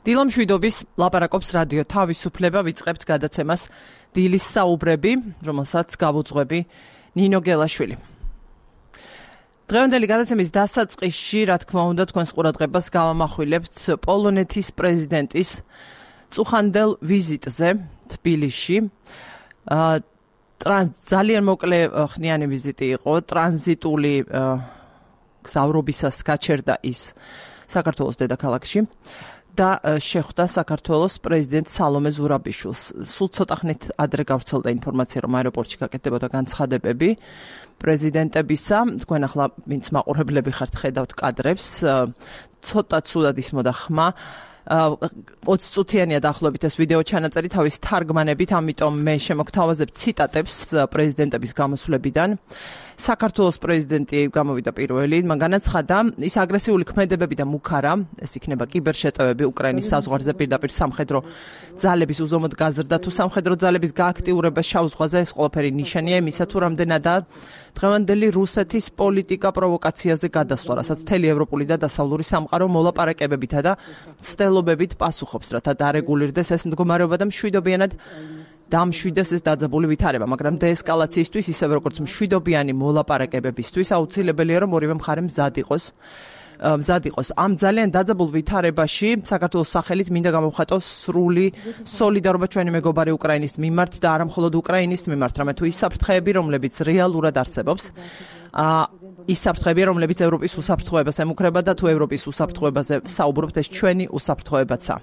დილა მშვიდობის ლაპარაკობს რადიო თავისუფლება ვიწყებთ გადაცემას დილის საუბრები, რომელსაც გავუძღვები ნინო გელაშვილი. დღევანდელი გადაცემის დასაწყისში, რა თქმა უნდა, თქვენს ყურადღებას გავამახვილებთ პოლონეთის პრეზიდენტის წუხანდელ ვიზიტზე თბილისში. ძალიან მოკლე ხნიანი ვიზიტი იყო, ტრანზიტული გზავრობისას გაჩერდა ის საქართველოს დედაქალაქში. და შეხვდა საქართველოს პრეზიდენტ სალომე ზურაბიშვილს. სულ ცოტა ხნით ადრე გავრცელდა ინფორმაცია, რომ აეროპორტში გაკეთდებოდა განცხადებები პრეზიდენტებისა. თქვენ ახლა ვინც მაყურებლები ხართ, ხედავთ კადრებს, ცოტა ცუდად ისმოდა ხმა. 20 წუთიანია დაახლოებით ეს ვიდეო ჩანაწერი თავის თარგმანებით, ამიტომ მე შემოგთავაზებ ციტატებს პრეზიდენტების გამოსვლებიდან. საქართველოს პრეზიდენტი გამოვიდა პირველი, მან განაცხადა, ის აგრესიული ქმედებები და მუქარა, ეს იქნება კიბერშეტევები უკრაინის საზღვარზე პირდაპირ სამხედრო ძალების უზომოდ გაზრდა თუ სამხედრო ძალების გააქტიურება შავ ზღვაზე, ეს ყველაფერი ნიშანია იმისა, თუ რამდენადაა დღევანდელი რუსეთის პოლიტიკა პროვოკაციაზე გადასვლა, რასაც მთელი ევროპული და დასავლური სამყარო მოლაპარაკებებითა და ცდელობებით პასუხობს, რათა დარეგულირდეს ეს მდგომარეობა და მშვიდობიანად დამშვიდეს ეს დაძაბული ვითარება, მაგრამ დეესკალაციისთვის, ისევე როგორც მშვიდობიანი მოლაპარაკებებისთვის, აუცილებელია, რომ ორივე მხარე მზად იყოს. ამ ძალიან დაძაბულ ვითარებაში საქართველოს სახელით მინდა გამოვხატოს სრული სოლიდარობა ჩვენი მეგობარი უკრაინის მიმართ და არა მხოლოდ უკრაინის მიმართ, რამე თუ ის საფრთხეები, რომლებიც რეალურად არსებობს, ის საფრთხეებია, რომლებიც ევროპის უსაფრთხოებას ემუქრება და თუ ევროპის უსაფრთხოებაზე საუბრობთ, ეს ჩვენი უსაფრთხოებაცაა.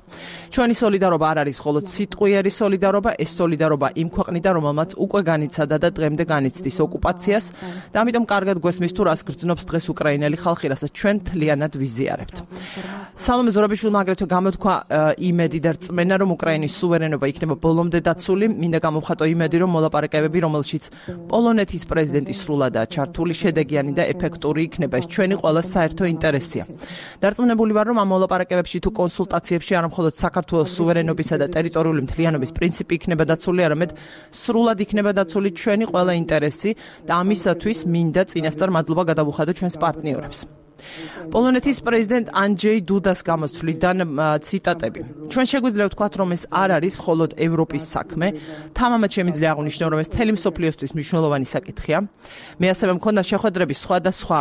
ჩვენი სოლიდარობა არ არის მხოლოდ სიტყვიერი სოლიდარობა, ეს სოლიდარობა იმ ქვეყნიდან, რომელმაც უკვე განიცადა და დღემდე განიცდის ოკუპაციას და ამიტომ კარგად გვესმის თუ რას გრძნობს დღეს უკრაინელი ხალხი, რასაც ჩვენ მთლიანად ვიზიარებთ. სალომე ზურაბიშვილმა აგრეთვე გამოთქვა იმედი და რწმენა, რომ უკრაინის სუვერენობა იქნება ბოლომდე დაცული. მინდა გამოვხატო იმედი, რომ მოლაპარაკებები, რომელშიც პოლონეთის პრეზიდენტი სრულადაა ჩართული, შედეგიანი და ეფექტური იქნება. ეს ჩვენი ყველა საერთო ინტერესია. დარწმუნებული ვარ, რომ ამ მოლაპარაკებებში თუ კონსულტაციებში არა მხოლოდ საქართველოს სუვერენობისა და ტერიტორიული მთლიანობის პრინციპი იქნება დაცული, არამედ სრულად იქნება დაცული ჩვენი ყველა ინტერესი და ამისათვის მინდა წინასწარ მადლობა გადავუხადო ჩვენს პარტნიორებს. პოლონეთის პრეზიდენტ ანჯეი დუდას გამოსვლიდან ციტატები. ჩვენ შეგვიძლია ვთქვათ, რომ ეს არ არის მხოლოდ ევროპის საქმე, თამამად შემიძლია აღვნიშნო, რომ ეს მთელი მსოფლიოსთვის მნიშვნელოვანი საკითხია. მე ასევე მქონდა შეხვედრები სხვადასხვა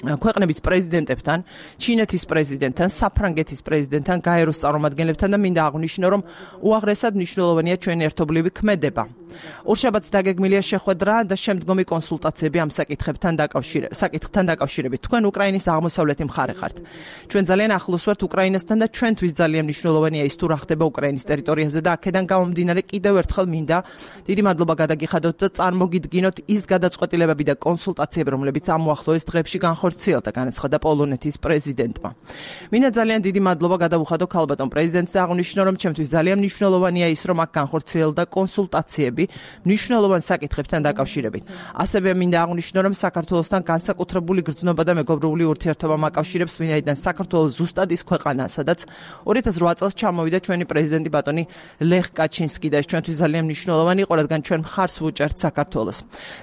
ქვეყნების პრეზიდენტებთან, ჩინეთის პრეზიდენტთან, საფრანგეთის პრეზიდენტთან, გაეროს წარმომადგენლებთან და მინდა აღვნიშნო, რომ უაღრესად მნიშვნელოვანია ჩვენი ერთობლივი ქმედება. ორშაბათს დაგეგმილია შეხვედრა და შემდგომი კონსულტაციები ამ საკითხთან დაკავშირებით. თქვენ უკრაინის აღმოსავლეთი მხარე ხართ. ჩვენ ძალიან ახლოს ვართ უკრაინასთან და ჩვენთვის ძალიან მნიშვნელოვანია ის თუ რა ხდება უკრაინის ტერიტორიაზე და აქედან გამომდინარე კიდევ ერთხელ მინდა დიდი მადლობა გადაგიხადოთ და წარმოგიდგინოთ ის გადაწყვეტილებები და კონსულტაციები, რომლებიც ამ უახლოეს დღეებში განხორციელდა, განაცხადა პოლონეთის პრეზიდენტმა. მინდა ძალიან დიდი მადლობა გადავუხადო ქალბატონ პრეზიდენტს და აღვნიშნო, რომ ჩემთვის ძალიან მნიშვნელოვანია ის, რომ აქ განხორციელდა კონსულტაციები მნიშვნელოვან საკითხებთან დაკავშირებით. ასევე მინდა აღვნიშნო, რომ საქართველოსთან განსაკუთრებული გრძნობა და მეგობრული ურთიერთობა მაკავშირებს, ვინაიდან საქართველოს ზუსტად ის ქვეყანაა, სადაც 2008 წელს ჩამოვიდა ჩვენი პრეზიდენტი ბატონი ლეხ კაჩინსკი და ეს ჩვენთვის ძალიან მნიშვნელოვანი იყო, რადგან ჩვენ მხარს ვუჭერთ საქართველოს.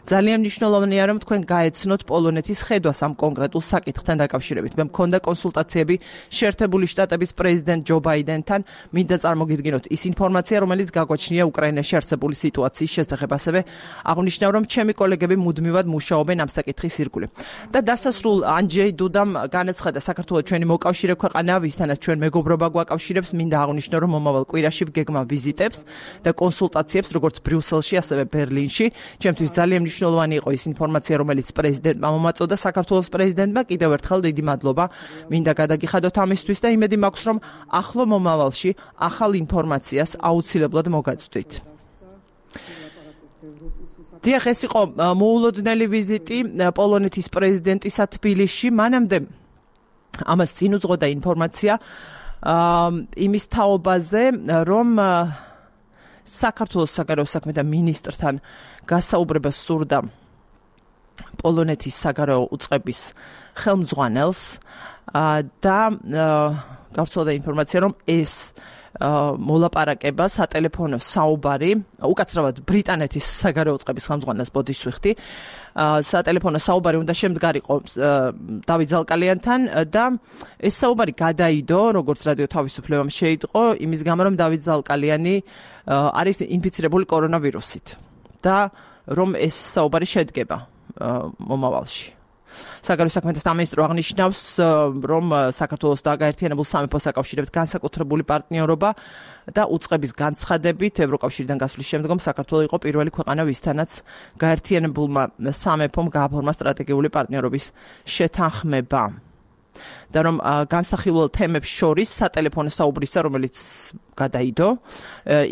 ძალიან მნიშვნელოვანია, რომ თქვენ გაეცნოთ პოლონეთის ხედვას ამ კონკრეტულ საკითხთან დაკავშირებით. მე მქონდა კონსულტაციები შეერთებული შტატების პრეზიდენტ ჯო ბაიდენთან, მინდა წარმოგიდგინოთ ის ინფორმაცია, რომელიც გაგვაჩნია უკრაინაში არსებული სიტუაციის შესახებ. ასევე აღვნიშნა, რომ ჩემი კოლეგები მუდმივად მუშაობენ ამ საკითხის ირგვლივ. და დასასრულ ანჯეი დუდამ განაცხადა, საქართველოს ჩვენი მოკავშირე ქვეყანაა, ვისთანაც ჩვენ მეგობრობა გვაკავშირებს. მინდა აღვნიშნო, რომ მომავალ კვირაში ვგეგმა ვიზიტებს და კონსულტაციებს, როგორც ბრიუსელში, ასევე ბერლინში. ჩემთვის ძალიან მნიშვნელოვანი იყო ის ინფორმაცია, რომელიც პრეზიდენტმა მომაწოდა საქართველოს პრეზიდენტმა. კიდევ ერთხელ დიდი მადლობა მინდა გადაგიხადოთ ამისთვის და იმედი მაქვს, რომ ახლო მომავალში ახალ ინფორმაციას აუცილებლად მოგაწვდით. დიახ, ეს იყო მოულოდნელი ვიზიტი პოლონეთის პრეზიდენტისა თბილისში. მანამდე ამას წინ უძღოდა ინფორმაცია იმის თაობაზე, რომ საქართველოს საგარეო საქმეთა მინისტრთან გასაუბრებას სურდა პოლონეთის საგარეო უწყების ხელმძღვანელს და გავრცელდა ინფორმაცია, რომ ეს მოლაპარაკება, სატელეფონო საუბარი, უკაცრავად ბრიტანეთის საგარეო წყების ხელმძღვანელს ბოდიშს ვიხდი. სატელეფონო საუბარი უნდა შემდგარიყო დავით ზალკალიანთან და ეს საუბარი გადაიდო, როგორც რადიო თავისუფლებამ შეიტყო, იმის გამო რომ დავით ზალკალიანი არის ინფიცირებული კორონავირუსით და რომ ეს საუბარი შედგება მომავალში. საგარეო საქმეთა სამინისტრო აღნიშნავს, რომ საქართველოს და გაერთიანებულ სამეფოს აკავშირებთ განსაკუთრებული პარტნიორობა და უწყების განცხადებით ევროკავშირიდან გასვლის შემდგომ საქართველო იყო პირველი ქვეყანა, ვისთანაც გაერთიანებულმა სამეფომ გააფორმა სტრატეგიული პარტნიორობის შეთანხმება. და რომ განსახილველ თემებს შორის სატელეფონო საუბრისა, რომელიც გადაიდო,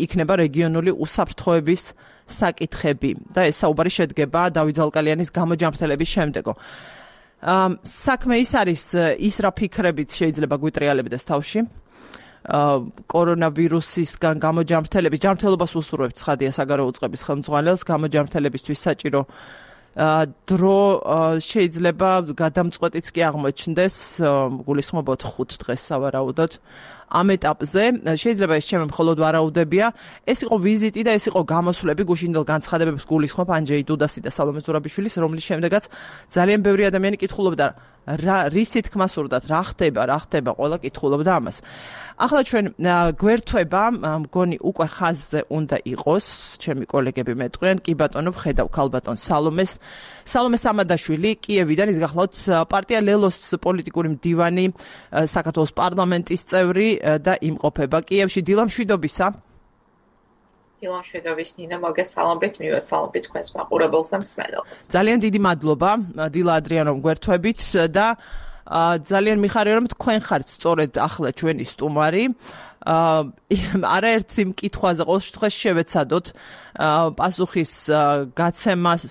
იქნება რეგიონული უსაფრთხოების საკითხები და ეს საუბარი შედგება დავით ზალკალიანის გამოჯანმრთელების შემდეგო. საქმე ის არის, ის რა ფიქრებით შეიძლება გვიტრიალებდეს თავში. კორონავირუსისგან გამოჯანმრთელების ჯანმრთელობას უსურვებთ ცხადია საგარეო უწყების ხელმძღვანელს, გამოჯანმრთელებისთვის საჭირო დრო შეიძლება გადამწყვეტიც კი აღმოჩნდეს, გულისხმობთ 5 დღეს სავარაუდოდ. ამ ეტაპზე შეიძლება ეს ჩემი მხოლოდ ვარაუდებია, ეს იყო ვიზიტი და ეს იყო გამოსვლები გუშინდელ განცხადებებს გულისხმობ ანჯეი დუდასი და სალომე ზურაბიშვილის, რომლის შემდეგაც ძალიან ბევრი ადამიანი კითხულობდა რისი თქმა სურდათ, რა ხდება, ყველა კითხულობდა ამას. ახლა ჩვენ გვერდება, მგონი უკვე ხაზზე უნდა იყოს, ჩემი კოლეგები მეტყვიან, კი ბატონო, ვხედავ ქალბატონ სალომე სამადაშვილი, კიევიდან, ის გახლავთ პარტია ლელოს პოლიტიკური მდივანი, საქართველოს პარლამენტის წევრი და იმყოფება კიევში. დილა მშვიდობისა. დილა მშვიდობის ნინა, მოგესალმებით, მივესალმებით თქვენს მაყურებელს და მსმენელს. ძალიან დიდი მადლობა დილა ადრიანომ გვერდებით და ძალიან მიხარია რომ თქვენ ხართ სწორედ ახლა ჩვენი სტუმარი. არაერთი მკითხვაზე ყოველ შემთხვევაში შევეცადოთ პასუხის გაცემას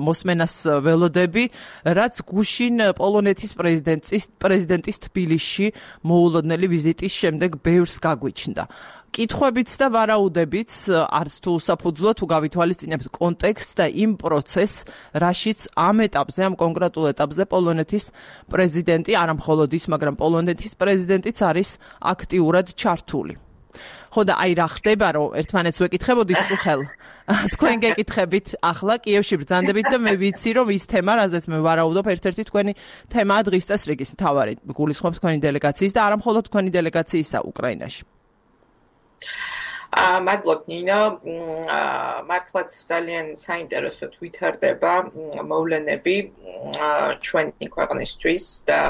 მოსმენას ველოდები, რაც გუშინ პოლონეთის პრეზიდენტის თბილისში მოულოდნელი ვიზიტის შემდეგ ბევრს გაგვიჩნდა. კითხვებიც და ვარაუდებიც არც თუ საფუძვლო თუ გავითვალისწინებთ კონტექსტს და იმ პროცესს, რაშიც ამ ეტაპზე, ამ კონკრეტულ ეტაპზე პოლონეთის პრეზიდენტი, არა მხოლოდ ის, მაგრამ პოლონეთის პრეზიდენტიც არის აქტიურად ჩართული. ხო და აი რა ხდება, რომ ერთმანეთს ვეკითხებოდით წუხელ. თქვენ გეკითხებით ახლა კიევში ბრძანდებით და მე ვიცი, რომ ის თემა, რაზეც მე ვარაუდობ, ერთ-ერთი თქვენი თემაა დღის წესრიგის მთავარი. გულისხმობ თქვენი დელეგაციის და არა მხოლოდ თქვენი დელეგაციისა უკრაინაში. მადლობ ნინა, მართლაც ძალიან საინტერესოდ ვითარდება მოვლენები ჩვენი ქვეყნისთვის და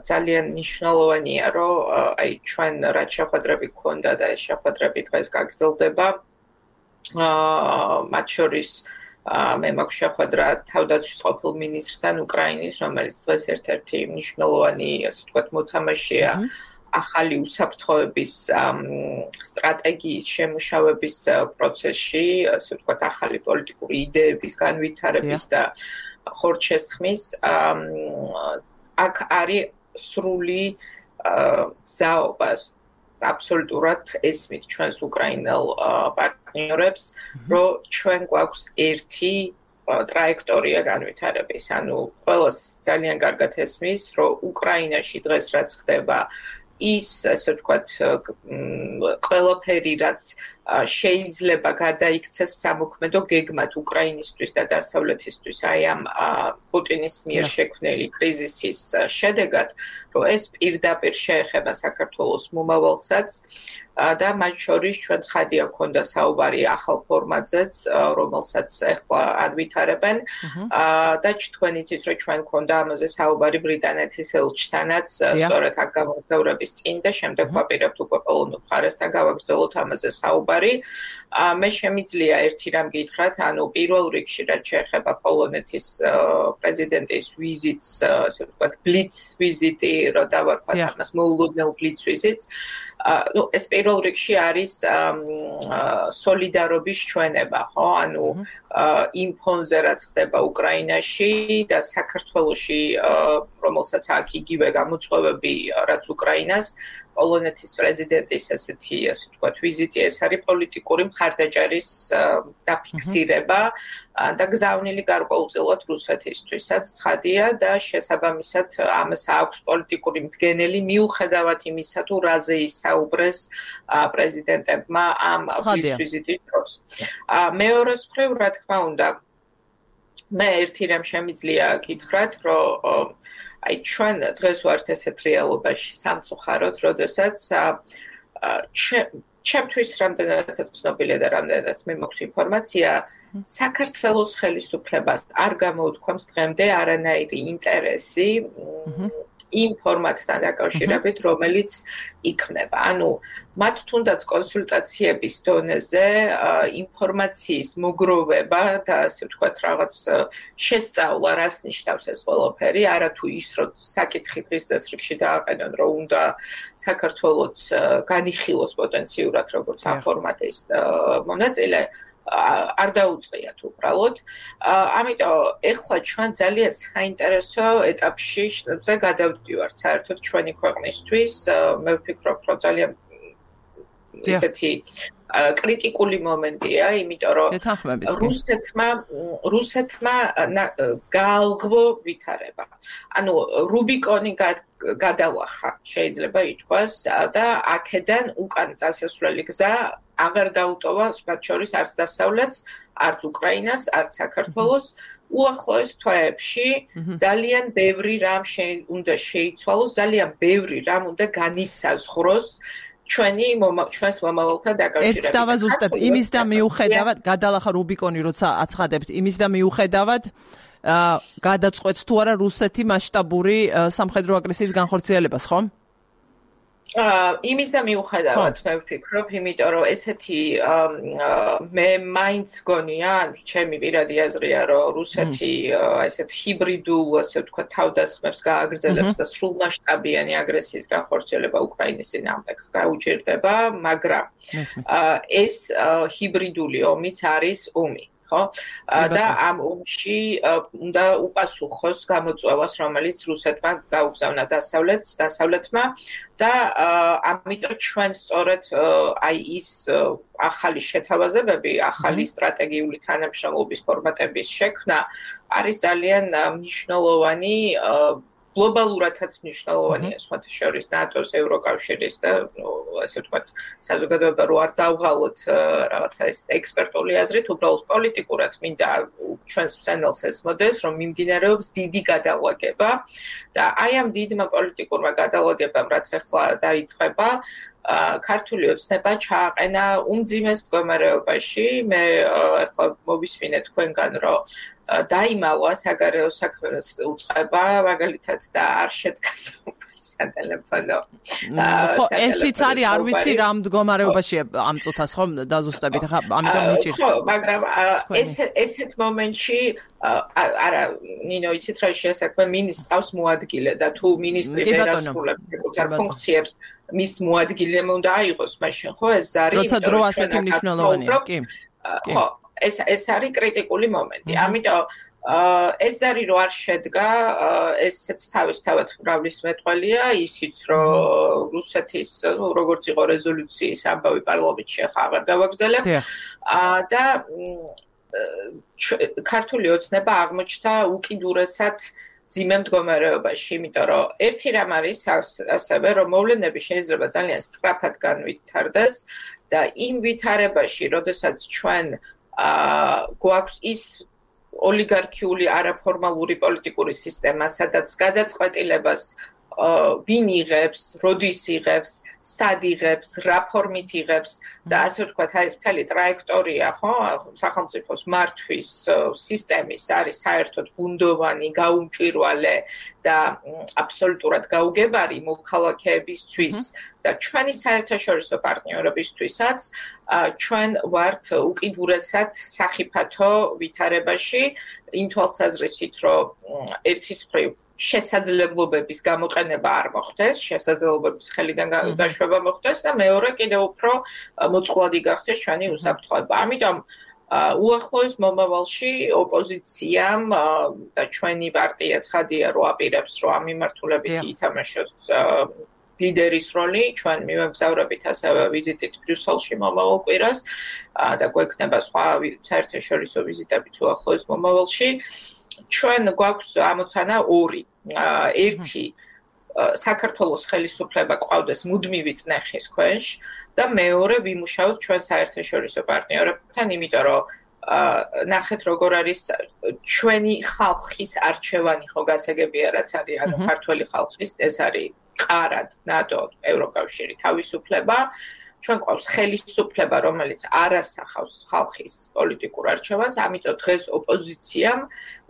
ძალიან მნიშვნელოვანია, რომ აი ჩვენ რაც შეხვედრები გქონდა და ეს შეხვედრები დღეს გაგრძელდება. მათ შორის მე მაქვს შეხვედრა თავდაცვის ყოფილ მინისტრთან უკრაინის, რომელიც დღეს ერთ-ერთი მნიშვნელოვანი, ასე ვთქვათ, მოთამაშეა ახალი უსაფრთხოების სტრატეგიის შემუშავების პროცესში, ასე ვთქვათ, ახალი პოლიტიკური იდეების განვითარების და ხორცშესხმის. აქ არის სრული გზაობა, აბსოლუტურად ესმით ჩვენს უკრაინელ პარტნიორებს, რომ ჩვენ გვაქვს ერთი ტრაექტორია განვითარების. ანუ ყველას ძალიან კარგად ესმის, რომ უკრაინაში დღეს რაც ხდება, ის, ასე ვთქვათ, ყველაფერი, რაც შეიძლება გადაიქცეს სამოქმედო გეგმად უკრაინისთვის და დასავლეთისთვის აი ამ პუტინის მიერ შექმნილი კრიზისის შედეგად, რომ ეს პირდაპირ შეეხება საქართველოს მომავალსაც და მათ შორის ჩვენ ცხადია გქონდა საუბარი ახალ ფორმატზეც, რომელსაც ახლა ანვითარებენ და თქვენ იცით, რომ ჩვენ გქონდა ამაზე საუბარი ბრიტანეთის ელჩთანაც, სწორედ აქ გამოგზაურების წინ და შემდეგ ვაპირებთ უკვე პოლონურ მხარესთან გავაგრძელოთ ამაზე საუბარი. მე შემიძლია ერთი რამ გითხრათ, ანუ პირველ რიგში რაც შეეხება პოლონეთის პრეზიდენტის ვიზიტს, ასე ვთქვათ, ბლიც ვიზიტი, რო დავარქვათ ამას მოულოდნელ ბლიც ვიზიტს. ეს პირველ რიგში არის სოლიდარობის ჩვენება, ხო? ანუ იმ ფონზე რაც ხდება უკრაინაში და საქართველოში, რომელსაც აქ იგივე გამოწვევები რაც უკრაინას, პოლონეთის პრეზიდენტის ესეთი, ასე ვთქვათ, ვიზიტი, ეს არის პოლიტიკური მხარდაჭერის დაფიქსირება და გზავნილი გარკვეულწილად რუსეთისთვისაც ცხადია და შესაბამისად ამას აქვს პოლიტიკური მდგენელი მიუხედავად იმისა, თუ რაზე ისაუბრეს პრეზიდენტებმა ამ ვიზიტის დროს. მეორეს მხრივ, რა თქმა უნდა, მე ერთი რამ შემიძლია გითხრათ, რომ აი ჩვენ დღეს ვართ ესეთ რეალობაში სამწუხაროდ, როდესაც ჩემთვის რამდენადაც ცნობილია და რამდენადაც მე მაქვს ინფორმაცია, საქართველოს ხელისუფლებას არ გამოუთქვამს დღემდე არანაირი ინტერესი იმ ფორმატთან დაკავშირებით, რომელიც იქმნება. ანუ მათ თუნდაც კონსულტაციების დონეზე ინფორმაციის მოგროვება და ასე ვთქვათ რაღაც შესწავლა, რას ნიშნავს ეს ყველაფერი, არა თუ ის, რომ საკითხი დღის წესრიგში დააყენონ, რომ უნდა საქართველოს განიხილოს პოტენციურად როგორც ამ ფორმატის მონაწილე, არ დაუწყიათ უბრალოდ. ამიტომ ეხლა ჩვენ ძალიან საინტერესო ეტაპში გადავდივართ საერთოდ ჩვენი ქვეყნისთვის. მე ვფიქრობ, რომ ძალიან ისეთი კრიტიკული მომენტია, იმიტომ რომ რუსეთმა გაალღო ვითარება. ანუ რუბიკონი გადალახა, შეიძლება ითქვას, და აქედან უკან წასასვლელი გზა აღარ დაუტოვა მათ შორის არც დასავლეთს, არც უკრაინას, არც საქართველოს. უახლოეს თვეებში ძალიან ბევრი რამ უნდა შეიცვალოს, ძალიან ბევრი რამ უნდა განისაზღვროს ჩვენს მომავალთან დაკავშირებით. ერთს დავაზუსტებ, იმის და მიუხედავად, გადალახა რუბიკონი, როცა აცხადებთ, იმის და მიუხედავად გადაწყვეტს თუ არა რუსეთი მასშტაბური სამხედრო აგრესიის განხორციელებას, ხო? იმის და მიუხედავად მე ვფიქრობ, იმიტომ რომ ესეთი მე მაინც გონია, ჩემი პირადი აზრია, რომ რუსეთი ესეთ ჰიბრიდულ, ასე ვთქვათ, თავდასხმებს გააგრძელებს და სრულმასშტაბიანი აგრესიის განხორციელება უკრაინის წინააღმდეგ გაუჭირდება, მაგრამ ეს ჰიბრიდული ომიც არის ომი. ხო? და ამ ომში უნდა უპასუხოს გამოწვევას, რომელიც რუსეთმა გაუგზავნა დასავლეთმა და ამიტომ ჩვენ სწორედ აი ის ახალი შეთავაზებები, ახალი სტრატეგიული თანამშრომლობის ფორმატების შექმნა არის ძალიან მნიშვნელოვანი გლობალურადაც მნიშვნელოვანია, სხვათა შორის ნატოს, ევროკავშირის და ასე ვთქვათ, საზოგადოება რო არ დავღალოთ რაღაცა ეს ექსპერტული აზრით, უბრალოდ პოლიტიკურად მინდა ჩვენს მსმენელს ესმოდეს, რომ მიმდინარეობს დიდი გადალაგება და აი ამ დიდმა პოლიტიკურმა გადალაგებამ, რაც ახლა დაიწყება, ქართული ოცნება ჩააყენა უმძიმეს მდგომარეობაში. მე ახლა მოვისმინე თქვენგან, რომ დაიმალვა საგარეო საქმეების უწყება, მაგალითად და არ შედგა სატელეფონო. ხო, ერთიც არის, არ ვიცი რა მდგომარეობაშია ამ წუთას, ხო, დაზუსტებით, ხა, ამიტომ მიჭირს. ხო, მაგრამ ესეთ მომენტში არა, ნინო, იცით რა შეასაქმე, მინისტრს მოადგილე და თუ მინისტრი ვერ ასრულებს საკუთარ ფუნქციებს, მის მოადგილემ უნდა აიღოს, მაშინ ხო ეს არის, როცა დრო ასეთი მნიშვნელოვანია, კი. ხო, ეს არის კრიტიკული მომენტი. ამიტომ ეს არის რომ არ შედგა, ესეც თავისთავად მრავლის მეტყველია, ისიც რომ რუსეთის, როგორც იყო რეზოლუციის ამბავი პარლამენტში ახლა აღარ გავაგრძელებ და ქართული ოცნება აღმოჩნდა უკიდურესად ძიმე მდგომარეობაში, იმიტომ რომ ერთი რამ არის ასევე, რომ მოვლენები შეიძლება ძალიან სწრაფად განვითარდეს და იმ ვითარებაში, როდესაც ჩვენ გვაქვს ის ოლიგარქიული არაფორმალური პოლიტიკური სისტემა, სადაც გადაწყვეტილებას ვინ იღებს, როდის იღებს, სად იღებს, რა ფორმით იღებს და ასე ვთქვათ, აი ეს მთელი ტრაექტორია, ხო, სახელმწიფოს მართვის სისტემის არის საერთოდ ბუნდოვანი, გაუმჭვირვალე და აბსოლუტურად გაუგებარი მოქალაქეებისთვის და ჩვენი საერთაშორისო პარტნიორებისთვისაც ჩვენ ვართ უკიდურესად სახიფათო ვითარებაში, იმ თვალსაზრისით, რომ ერთის მხრივ შესაძლებლობების გამოყენება არ მოხდეს, შესაძლებლობების ხელიდან გაშვება მოხდეს და მეორე კიდევ უფრო მოწყვლადი გახდეს ჩვენი უსაფრთხოება. ამიტომ უახლოეს მომავალში ოპოზიციამ და ჩვენი პარტია ცხადია, რომ აპირებს, რომ ამ მიმართულებით ითამაშოს ლიდერის როლი, ჩვენ მივაგზავრებით ასევე ვიზიტით ბრიუსელში მომავალ კვირას და გვექნება სხვა საერთაშორისო ვიზიტებიც უახლოეს მომავალში. ჩვენ გვაქვს ამოცანა ორი. ერთი საქართველოს ხელისუფლება ყავდეს მუდმივი წნეხის ქვეშ და მეორე ვიმუშაოთ ჩვენ საერთაშორისო პარტნიორებთან, იმიტომ რომ ნახეთ როგორ არის ჩვენი ხალხის არჩევანი ხო გასაგებია რაც არის ანუ ქართველი ხალხის ეს არის ყარად ნატო ევროკავშირი თავისუფლება ჩვენ ყავს ხელისუფლება რომელიც არ ასახავს ხალხის პოლიტიკურ არჩევანს ამიტომ დღეს ოპოზიციამ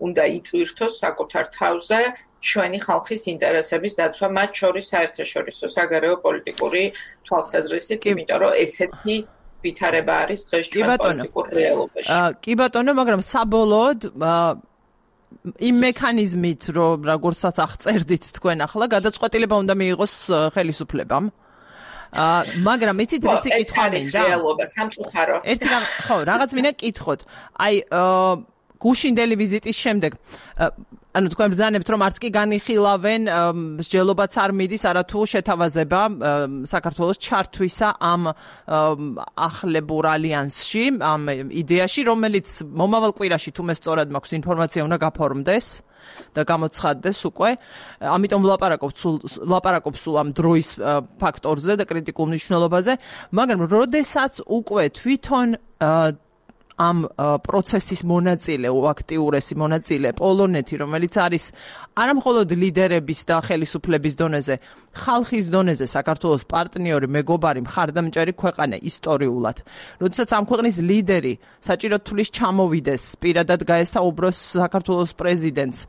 უნდა იტვირთოს საკუთარ თავზე ჩვენი ხალხის ინტერესების დაცვა მათ შორის საერთაშორისო საგარეო პოლიტიკური თვალსაზრისით იმიტომ რომ ესეთი ვითარება არის დღეს ჩვენ პოლიტიკურ რეალობაში. კი ბატონო, მაგრამ საბოლოოდ იმ მექანიზმით, რომ როგორცაც აღწერდით თქვენ ახლა, გადაწყვეტილება უნდა მიიღოს ხელისუფლებამ. მაგრამ იცით რისი კითხვა მინდა? რეალობა სამწუხარო. ერთი ხო, რაღაც მინდა კითხოთ. აი გუშინდელი ვიზიტის შემდეგ ანუ თქვენ ბრძანებთ რომ არც კი განიხილავენ მსჯელობაც არ მიდის არათუ შეთავაზება საქართველოს ჩართვისა ამ ახლებურ ალიანსში ამ იდეაში რომელიც მომავალ კვირაში თუ მე სწორად მაქვს ინფორმაცია უნდა გაფორმდეს და გამოცხადდეს უკვე ამიტომ ვლაპარაკობ სულ ამ დროის ფაქტორზე და კრიტიკულ მნიშვნელობაზე მაგრამ როდესაც უკვე თვითონ ამ პროცესის მონაწილე, აქტიურესი მონაწილე პოლონეთი, რომელიც არის არა მხოლოდ ლიდერების და ხელისუფლების დონეზე, ხალხის დონეზე საქართველოს პარტნიორი, მეგობარი, მხარდამჭერი ქვეყანა ისტორიულად. როდესაც ამ ქვეყნის ლიდერი საჭიროდ თulis ჩამოვიდეს, პირადად გაესაუბროს საქართველოს პრეზიდენტს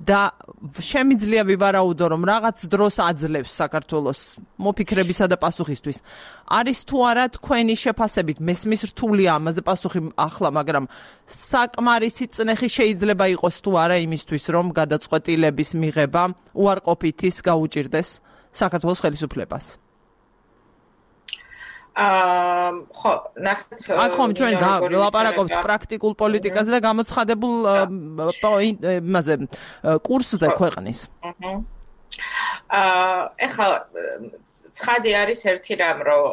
და შემიძლია ვივარაუდო რომ რაღაც დროს აძლევს საქართველოს მოფიქრებისა და პასუხისთვის. არის თუ არა თქვენი შეფასებით მესმის რთულია ამაზე პასუხი ახლა, მაგრამ საკმარისი წნეხი შეიძლება იყოს თუ არა იმისთვის რომ გადაწყვეტილების მიღება უარყოფითის გაუჭირდეს საქართველოს ხელისუფლებას. ხო, ნახეთ. აქ ხომ ჩვენ ვლაპარაკობთ პრაქტიკულ პოლიტიკაზე და გამოცხადებულ იმაზე კურსზე ქვეყნის. ეხლა ცხადი არის ერთი რამ, რომ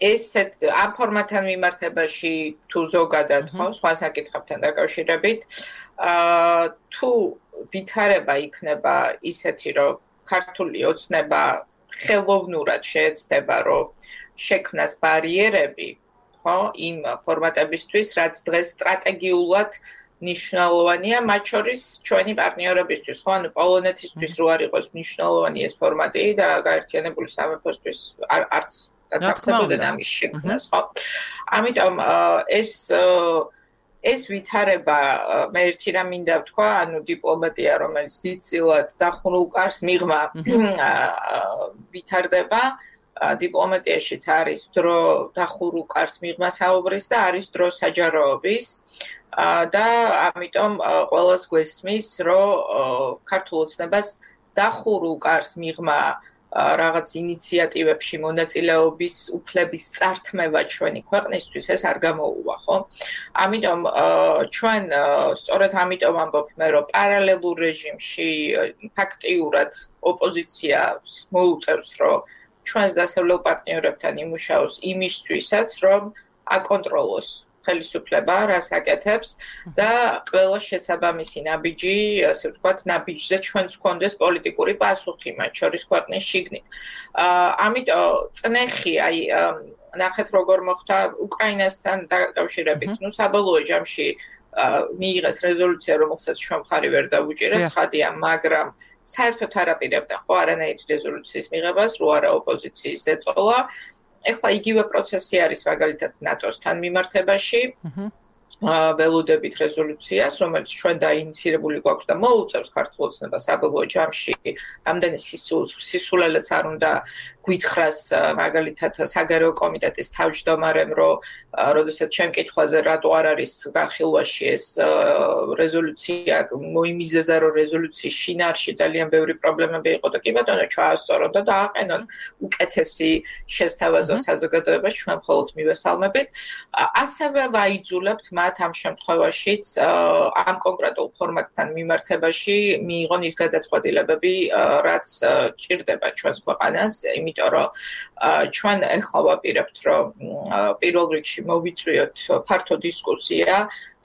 ესეთ ამ ფორმატთან მიმართებაში თუ ზოგადად ხო, სხვა საკითხებთან დაკავშირებით, თუ ვითარება იქნება ისეთი, რომ ქართული ოცნება ხელოვნურად შეეცდება, რომ შექმნას ბარიერები, ხო, იმ ფორმატებისთვის, რაც დღეს სტრატეგიულად მნიშვნელოვანია, მათ შორის ჩვენი პარტნიორებისთვის, ხო, ანუ პოლონეთისთვის რო არ იყოს მნიშვნელოვანი ეს ფორმატი და გაერთიანებული სამეფოსთვის არც დათანხმებოდნენ ამის შექმნას, ხო? ამიტომ ეს ვითარება მე ერთი რამ მინდა ვთქვა, ანუ დიპლომატია, რომელიც დიდწილად დახურულ კარს მიღმა ვითარდება დიპლომატიაშიც არის დრო დახურულ კარს მიღმა საუბრის და არის დრო საჯაროობის და ამიტომ ყველას გვესმის, რომ ქართულ ოცნებას დახურულ კარს მიღმა რაღაც ინიციატივებში მონაწილეობის უფლების წართმევა ჩვენი ქვეყნისთვის ეს არ გამოუვა, ხო? ამიტომ ჩვენ სწორედ ამიტომ ამბობ მე, რომ პარალელურ რეჟიმში ფაქტიურად ოპოზიცია მოუწევს, რომ ჩვენს დასავლელ პარტნიორებთან იმუშაოს იმისთვისაც, რომ აკონტროლოს ხელისუფლება, რას აკეთებს და ყველა შესაბამისი ნაბიჯი, ასე ვთქვათ, ნაბიჯზე ჩვენს გვქონდეს პოლიტიკური პასუხი, მათ შორის ქვეყნის შიგნით. ამიტომ წნეხი, აი, ნახეთ როგორ მოხდა უკრაინასთან დაკავშირებით. ნუ საბოლოო ჯამში მიიღეს რეზოლუცია, რომელსაც ჩვენ მხარი ვერ დავუჭირეთ, ცხადია, მაგრამ საერთოდ არ აპირებდა ხო არანაირი რეზოლუციის მიღებას, რო არა ოპოზიციის ეწოლა. ეხლა იგივე პროცესი არის მაგალითად ნატოსთან მიმართებაში. ველოდებით რეზოლუციას, რომელიც ჩვენ დაინიცირებული გვაქვს და მოუწევს ქართულ ოცნებას საბოლოო ჯამში, ამდენი სისულელეც არ უნდა გვითხრას მაგალითად საგარეო კომიტეტის თავმჯდომარემ, რომ როდესაც ჩემ კითხვაზე რატო არ არის განხილვაში ეს რეზოლუცია, მოიმიზეზა, რომ რეზოლუციის შინაარსში ძალიან ბევრი პრობლემები იყო და კი ბატონო ჩაასწორონ და დააყენონ უკეთესი შესთავაზო საზოგადოებაში, ჩვენ მხოლოდ მივესალმებით. ასევე ვაიძულებთ მათ ამ შემთხვევაშიც ამ კონკრეტულ ფორმატთან მიმართებაში მიიღონ ის გადაწყვეტილებები, რაც ჭირდება ჩვენს ქვეყანას, იმიტომ რომ ჩვენ ახლა ვაპირებთ, რომ პირველ რიგში მოვიწვიოთ ფართო დისკუსია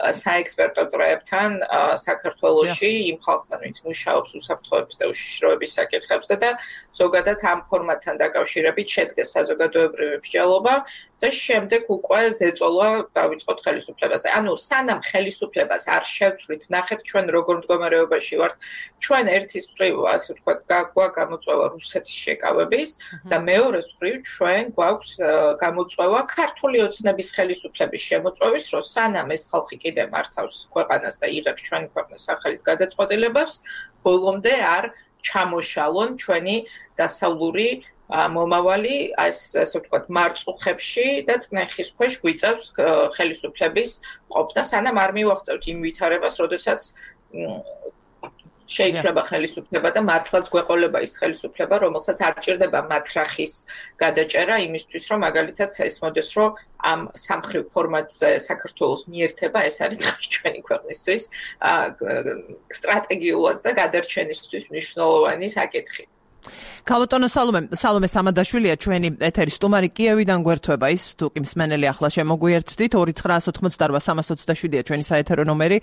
საექსპერტო წრეებთან საქართველოში იმ ხალხთან, ვინც მუშაობს უსაფრთხოების და უშიშროების საკითხებზე და ზოგადად ამ ფორმატთან დაკავშირებით შედგეს საზოგადოებრივი მსჯელობა და შემდეგ უკვე ზეწოლა დავიწყოთ ხელისუფლებაზე. ანუ სანამ ხელისუფლებას არ შევცვლით, ნახეთ ჩვენ როგორ მდგომარეობაში ვართ. ჩვენ ერთის მხრივ, ასე ვთქვათ, გამოწვევა რუსეთის შეკავების და მეორეს მხრივ ჩვენ გვაქვს გამოწვევა ქართული ოცნების ხელისუფლების შემოწვევის, რომ სანამ ეს ხალხი კიდე მართავს ქვეყანას და იღებს ჩვენი ქვეყნის სახელით გადაწყვეტილებებს, ბოლომდე არ ჩამოშალონ ჩვენი დასავლური მომავალი ასე ვთქვათ მარწუხებში და წნეხის ქვეშ გვიწევს ხელისუფლების ყოფნა, სანამ არ მივახცევთ იმ ვითარებას, როდესაც შეიძლება ხელისუფლება და მართლაც გვეყოლება ის ხელისუფლება, რომელსაც არ ჭირდება მათრახის გადაჭერა იმისთვის, რომ მაგალითად ეს მოდეს, რომ ამ სამხრივ ფორმატზე საქართველოს მიერთება, ეს არის ჩვენი ქვეყნისთვის სტრატეგიულად და გადარჩენისთვის მნიშვნელოვანი საკითხი. ქალბატონო სალომე სამადაშვილია ჩვენი ეთერის სტუმარი კიევიდან გვერდება ის თუ კი მსმენელი ახლა შემოგვიერთდით 2988-327-ია ჩვენი საეთერო ნომერი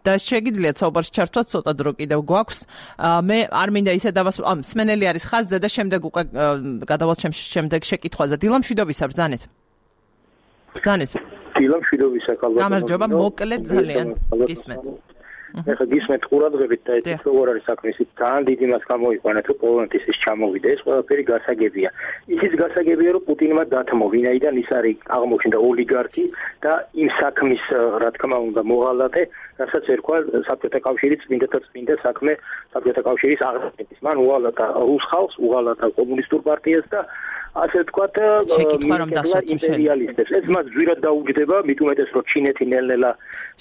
და შეგიძლიათ საუბარში ჩართვათ ცოტა დრო კიდევ გვაქვს მე არ მინდა ისე დავასრულო მსმენელი არის ხაზზე და შემდეგ უკვე გადავალთ შემდეგ შეკითხვაზე დილა მშვიდობისა ბრძანეთ დილა მშვიდობისა ქალბატონო გამარჯობა მოკლედ ძალიან გისმენთ ეხლა გისმენთ ყურადღებით და ეს როგორ არის საქმე ისიც ძალიან დიდი მას გამოიყვანეთ რომ პოლონეთის ის ჩამოვიდა ეს ყველაფერი გასაგებია ისიც გასაგებია რომ პუტინმა დათმო ვინაიდან ის არის აღმოჩნდა ოლიგარქი და იმ საქმის რა თქმა უნდა მოღალატე რასაც ერქვა საბჭოთა კავშირის წმინდა საქმე საბჭოთა კავშირის აღზრდის მან უღალატა რუს ხალხს უღალატა კომუნისტურ პარტიას და ასე ვთქვათ იმპერიალისტებს ეს მას ძვირად დაუჯდება მით უმეტეს რომ ჩინეთი ნელ-ნელა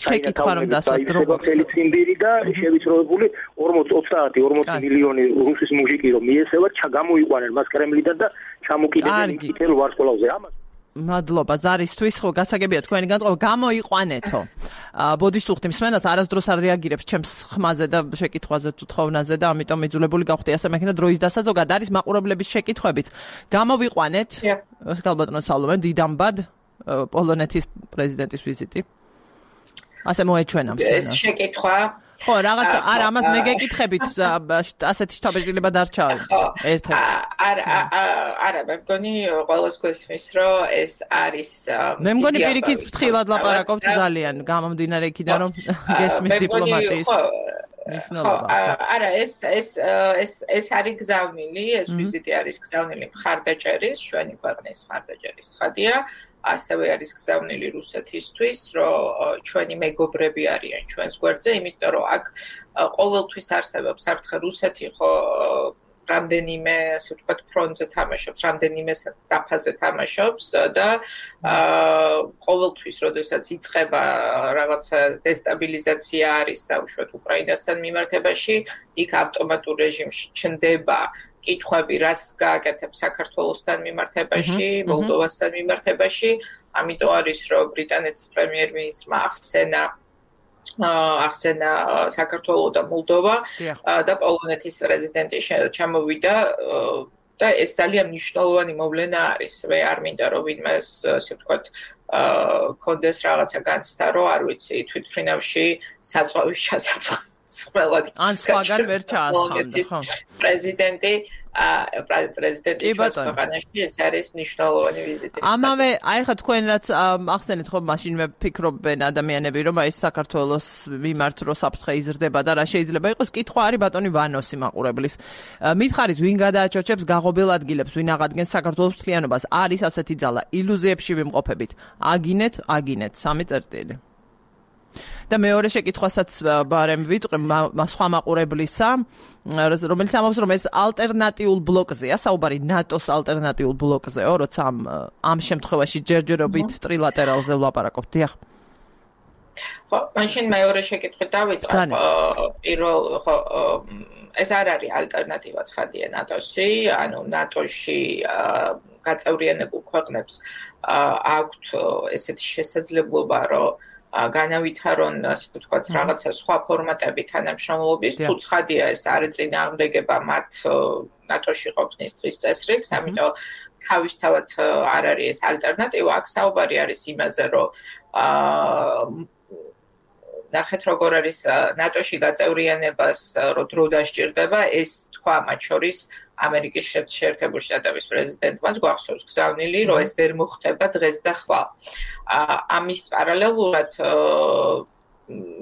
შეკითხვა რომ დასვათ როგორც ციმბირი და შევიწროებული 40 მილიონი რუსის მუჟიკი რომ მიესევათ ჩაგამოიყვანენ მას კრემლიდან და ჩამოკიდებენ იქითელ ვარსკვლავზე ამას მადლობა ზარისთვის ხო გასაგებია თქვენი განწყობა გამოიყვანეთო ბოდიშს უხდით მსმენელს არასდროს არ რეაგირებს ჩემს ხმაზე და შეკითხვაზე თუ თხოვნაზე და ამიტომ მიძულებული გავხდი ასე მექნა დროის დასაძოგად არის მაყურებლების შეკითხვებიც გამოვიყვანეთ ქალბატონო სალომე დიდამბად პოლონეთის პრეზიდენტის ვიზიტი ასე მოეჩვენა მსმენელს ეს შეკითხვა ხო რაღაც არა ამას მე გეკითხებით ასეთი შთაბეჭდილება დარჩა ერთ-ერთი არა მე მგონი ყველას გვესმის რომ ეს არის მე მგონი პირიქით ფრთხილად ლაპარაკობთ ძალიან გამომდინარე იქიდან რომ გესმით დიპლომატიის არა ეს არის გზავნილი ეს ვიზიტი არის გზავნილი მხარდაჭერის ჩვენი ქვეყნის მხარდაჭერის ცხადია ასევე არის გზავნილი რუსეთისთვის, რომ ჩვენი მეგობრები არიან ჩვენს გვერდზე, იმიტომ რომ აქ ყოველთვის არსებობს საფრთხე რუსეთი ხო რამდენიმე, ასე ვთქვათ, ფრონტზე თამაშობს, რამდენიმე დაფაზე თამაშობს და ყოველთვის, როდესაც იწყება რაღაცა დესტაბილიზაცია არის დაუშვათ უკრაინასთან მიმართებაში, იქ ავტომატურ რეჟიმში ჩნდება კითხვები რას გააკეთებს საქართველოსთან მიმართებაში, მოლდოვასთან მიმართებაში, ამიტომ არის რომ ბრიტანეთის პრემიერ-მინისტრმა ახსენა საქართველო და მოლდოვა და პოლონეთის პრეზიდენტი ჩამოვიდა და ეს ძალიან მნიშვნელოვანი მოვლენა არის. მე არ მინდა რომ ვინმე ასე ვთქვათ კონდეს რაღაცა განცდა რომ არ ვიცი თვითმფრინავში საწვავის ჩასაწყობი ან სხვაგან ვერ ჩაასხამდა ხო პრეზიდენტი ქვეყანაში ეს არის მნიშვნელოვანი ვიზიტი. ამავე აი ხა თქვენ რაც ახსენეთ ხო მაშინვე ფიქრობენ ადამიანები რომ აი საქართველოს მიმართ რო საფრთხე იზრდება და რა შეიძლება იყოს კითხვა არის ბატონი ვანოსი მაყურებლის მითხარით ვინ გადააჩორჩებს გაღობილ ადგილებს ვინ აღადგენს საქართველოს მთლიანობას არის ასეთი ძალა ილუზიებში ვიმყოფებით აგინეთ 3 წერტილი და მეორე შეკითხვასაც ბარემ ვიტყვი სხვა მაყურებლისა, რომელიც ამბობს, რომ ეს ალტერნატიულ ბლოკზეა, საუბარი ნატოს ალტერნატიულ ბლოკზეო, როცა ამ შემთხვევაში ჯერჯერობით ტრილატერალზე ვლაპარაკობთ. დიახ. ხო, მაშინ მეორე შეკითხვით დავიწყებ. პირველ ხო ეს არ არის ალტერნატივა ცხადია ნატოში, ანუ ნატოში გაწევრიანებულ ქვეყნებს აქვთ ესეთი შესაძლებლობა, რომ განავითარონ, ასე ვთქვათ, რაღაცა სხვა ფორმატები თანამშრომლობის, თუ ცხადია ეს არ ეწინააღმდეგება მათ ნატოში ყოფნის დღის წესრიგს, ამიტომ თავისთავად არ არის ეს ალტერნატივა, აქ საუბარი არის იმაზე, რომ ნახეთ როგორ არის ნატოში გაწევრიანებას რო დრო დასჭირდება, ეს თქვა მათ შორის ამერიკის შეერთებული შტატების პრეზიდენტმაც გვახსოვს გზავნილი, რომ ეს ვერ მოხდება დღეს და ხვალ. ამის პარალელურად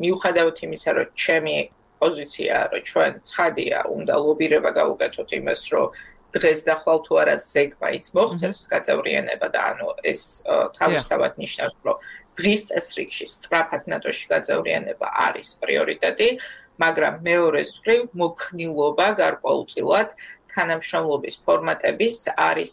მიუხედავად იმისა, რომ ჩემი პოზიცია, რომ ჩვენ ცხადია, უნდა ლობირება გავუკეთოთ იმას, რომ დღეს და ხვალ თუ არა ზეგმაიც მოხდეს გაწევრიანება და ანუ ეს თავისთავად ნიშნავს, რომ დღის წესრიგში სწრაფად ნატოში გაწევრიანება არის პრიორიტეტი, მაგრამ მეორეს მხრივ მოქნილობა გარკვეულწილად თანამშრომლობის ფორმატების არის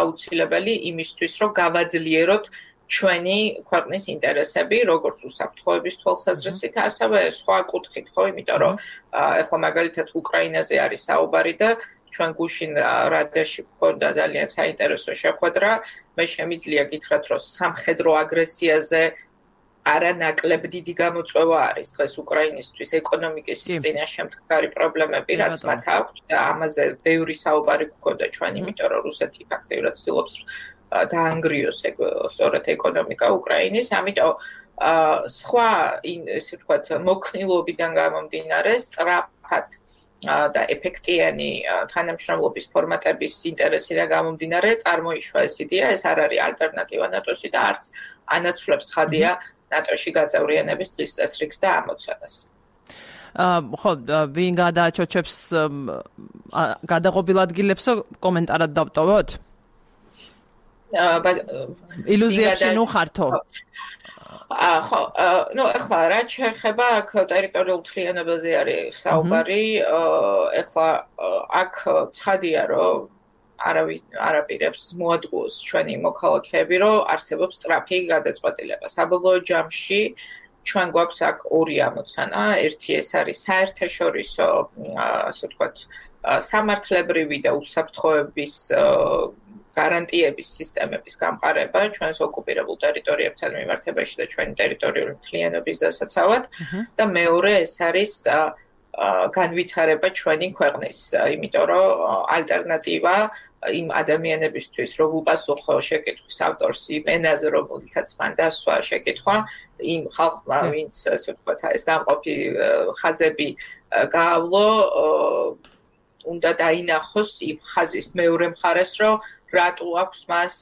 აუცილებელი იმისთვის, რომ გავაძლიეროთ ჩვენი ქვეყნის ინტერესები, როგორც უსაფრთხოების თვალსაზრისით, ასევე სხვა კუთხით, ხო, იმიტომ რომ ახლა მაგალითად უკრაინაზე არის საუბარი და ჩვენ გუშინ რადიაში გვქონდა ძალიან საინტერესო შეხვედრა, მე შემიძლია გითხრათ, რომ სამხედრო აგრესიაზე არანაკლებ დიდი გამოწვევა არის დღეს უკრაინისთვის ეკონომიკის წინაშე მდგარი პრობლემები, რაც მათ აქვთ და ამაზე ბევრი საუბარი გვქონდა ჩვენ, იმიტომ რომ რუსეთი ფაქტიურად ცდილობს დაანგრიოს სწორედ ეკონომიკა უკრაინის, ამიტომ სხვა ესე ვთქვათ მოქნილობიდან გამომდინარე სწრაფად და ეფექტიანი თანამშრომლობის ფორმატების ინტერესიდან გამომდინარე წარმოიშვა ეს იდეა, ეს არ არის ალტერნატივა ნატოში და არც ანაცვლებს ხადია ნატოში გაწევრიანების დღის წესრიგს და ამოცანას. ხო, ვინ გადააჩოჩებს გადაღობილ ადგილებსო კომენტარად დავტოვოთ? ილუზიებში ნუ ხართო? ხო, ну, ახლა რა შეეხება აქ ტერიტორიულ მთლიანობაზე არის საუბარი, ახლა აქ ცხადია, რომ არაპირებს მოადგოს ჩვენი მოქალაქეები, რომ არსებობს სწრაფი გადაწყვეტილება. საბოლოო ჯამში ჩვენ გვაქვს აქ ორი ამოცანა, ერთი ეს არის საერთაშორისო, ასე ვთქვათ, სამართლებრივი და უსაფრთხოების გარანტიების სისტემების გამყარება ჩვენს ოკუპირებულ ტერიტორიებთან მიმართებაში და ჩვენი ტერიტორიული მთლიანობის დასაცავად და მეორე ეს არის განვითარება ჩვენი ქვეყნის, იმიტომ რომ ალტერნატივა იმ ადამიანებისთვის, რომ უპასუხო შეკითხვის ავტორს იმ ენაზე, რომელიცაც მან დასვა შეკითხვა, იმ ხალხმა, ვინც ასე ვთქვათ, ეს გამყოფი ხაზები გაავლო, უნდა დაინახოს იმ ხაზის მეორე მხარეს, რომ რატო აქვს მას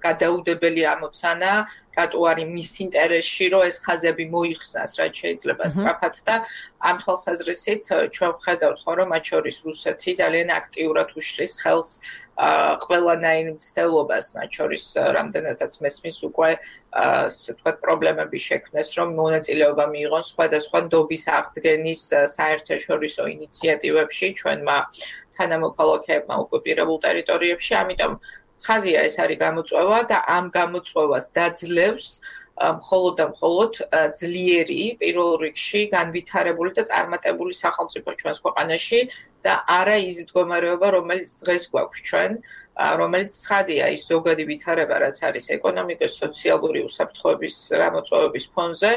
გადაუდებელი ამოცანა, რატო არის მის ინტერესში, რომ ეს ხაზები მოიხსნას, რაც შეიძლება სწრაფად და ამ თვალსაზრისით ჩვენ ვხედავთ, რომ მათ შორის რუსეთი ძალიან აქტიურად უშლის ხელს ყველანაირ მცდელობას, მათ შორის რამდენადაც მესმის უკვე ასე ვთქვათ პრობლემების შექმნეს, რომ მონაწილეობა მიიღონ სხვადასხვა ნდობის აღდგენის საერთაშორისო ინიციატივებში ჩვენმა თანამოქალაქეებმა ოკუპირებულ ტერიტორიებში, ამიტომ ცხადია ეს არის გამოწვევა და ამ გამოწვევას დაძლევს მხოლოდ და მხოლოდ ძლიერი პირველ რიგში განვითარებული და წარმატებული სახელმწიფო ჩვენს ქვეყანაში და არა ის მდგომარეობა, რომელიც დღეს გვაქვს ჩვენ, რომელიც ცხადია ის ზოგადი ვითარება, რაც არის ეკონომიკის, სოციალური უსაფრთხოების გამოწვევების ფონზე,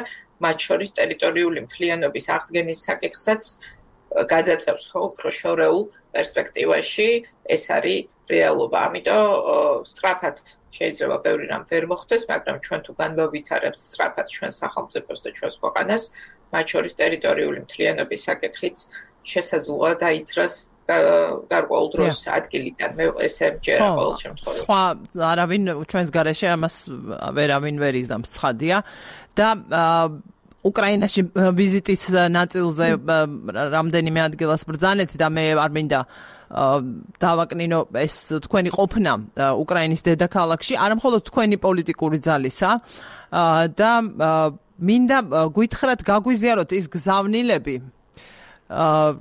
მათ შორის ტერიტორიული მთლიანობის აღდგენის საკითხსაც გადაწევს ხო უფრო შორეულ პერსპექტივაში, ეს არის რეალობა. ამიტომ სწრაფად შეიძლება ბევრი რამ ვერ მოხდეს, მაგრამ ჩვენ თუ განვავითარებთ სწრაფად ჩვენს სახელმწიფოს და ჩვენს ქვეყანას, მათ შორის ტერიტორიული მთლიანობის საკითხიც შესაძლოა დაიცრას გარკვეულ დროს ადგილიდან. მე ესე მჯერა ყოველ შემთხვევაში. სხვა არავინ ჩვენს გარეშე ამას ვერავინ ვერ იზამს, ცხადია და უკრაინაში ვიზიტის ნაწილზე რამდენიმე ადგილას ბრძანეთ და მე არ მინდა დავაკნინო ეს თქვენი ყოფნა უკრაინის დედაქალაქში, არა მხოლოდ თქვენი პოლიტიკური ძალისა და მინდა გვითხრათ გაგვიზიაროთ ის გზავნილები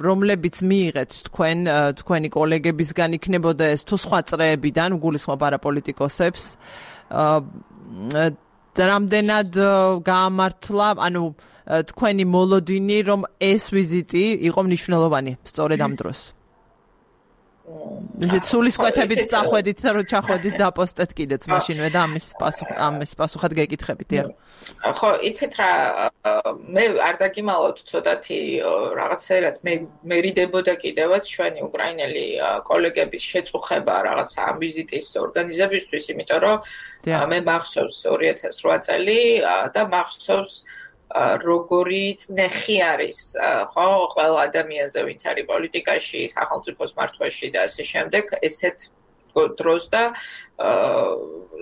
რომლებიც მიიღეთ თქვენი კოლეგებისგან იქნებოდა ეს თუ სხვა წრეებიდან გულისხმობ არაპოლიტიკოსებს რამდენად გაამართლა ანუ თქვენი მოლოდინი რომ ეს ვიზიტი იყო მნიშვნელოვანი სწორედ ამ დროს ისეთ სულისკვეთებით წახვედით რომ ჩახვედით დაპოსტეთ კიდეც მაშინვე და ამის პასუხად გეკითხებით ხო იცით რა მე არ დაგიმალავთ ცოტათი რაღაცერად მე რიდებოდა კიდევაც ჩვენი უკრაინელი კოლეგების შეწუხება რაღაცა ამ ვიზიტის ორგანიზებისთვის იმიტომ რომ მე მახსოვს 2008 წელი და მახსოვს როგორი წნეხი არის ხო ყველა ადამიანზე ვინც არის პოლიტიკაში სახელმწიფოს მართვაში და ასე შემდეგ ესეთ დროს და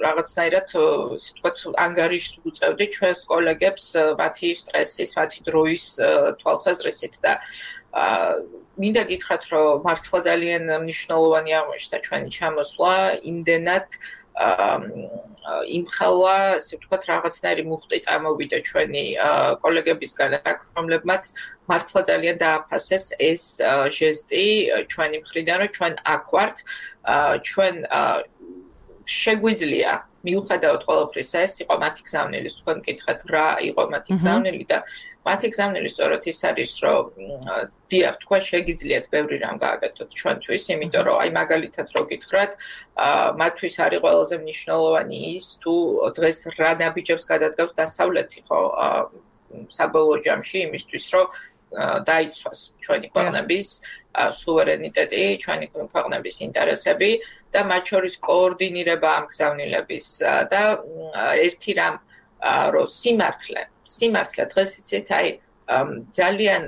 რაღაცნაირად ისე ვთქვათ ანგარიშს უწევდი ჩვენს კოლეგებს მათი სტრესის მათი დროის თვალსაზრისით და მინდა გითხრათ რომ მართლა ძალიან მნიშვნელოვანი აღმოჩნდა ჩვენი ჩამოსვლა იმდენად იმხელა, ასე ვთქვათ, რაღაცნაირი მუხტი წარმოვიდა ჩვენი კოლეგებისგან, რომლებმაც მართლა ძალიან დააფასეს ეს ჟესტი ჩვენი მხრიდან, რომ ჩვენ აქ ვართ, ჩვენ შეგვიძლია მიუხედავად ყველაფრისა ეს იყო მათი გზავნილი, თქვენ მკითხეთ რა იყო მათი გზავნილი და მათი გზავნილი სწორედ ის არის, რომ დიახ, თქვენ შეგიძლიათ ბევრი რამ გააკეთოთ ჩვენთვის, იმიტომ რომ აი მაგალითად რო გითხრათ, მათთვის არის ყველაზე მნიშვნელოვანი ის, თუ დღეს რა ნაბიჯებს გადადგავს დასავლეთი, ხო, საბოლოო ჯამში იმისთვის, რომ დაიცვას ჩვენი ქვეყნების სუვერენიტეტი, ჩვენი ქვეყნების ინტერესები და მათ შორის კოორდინირება ამ გზავნილების და ერთი რამ რომ სიმართლე დღეს იცით აი ძალიან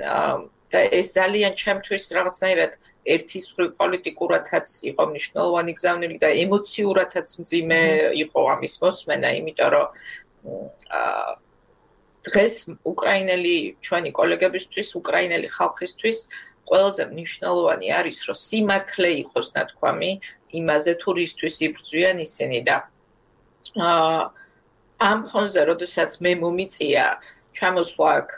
და ეს ძალიან ჩემთვის რაღაცნაირად ერთის მხრივ პოლიტიკურათაც იყო მნიშვნელოვანი გზავნილი და ემოციურათაც მძიმე იყო ამის მოსმენა, იმიტომ რომ დღეს უკრაინელი ჩვენი კოლეგებისთვის, უკრაინელი ხალხისთვის ყველაზე მნიშვნელოვანი არის, რომ სიმართლე იყოს ნათქვამი იმაზე, თუ რისთვის იბრძვიან ისინი და ამ ფონზე, როდესაც მე მომიწია ჩამოსვლა აქ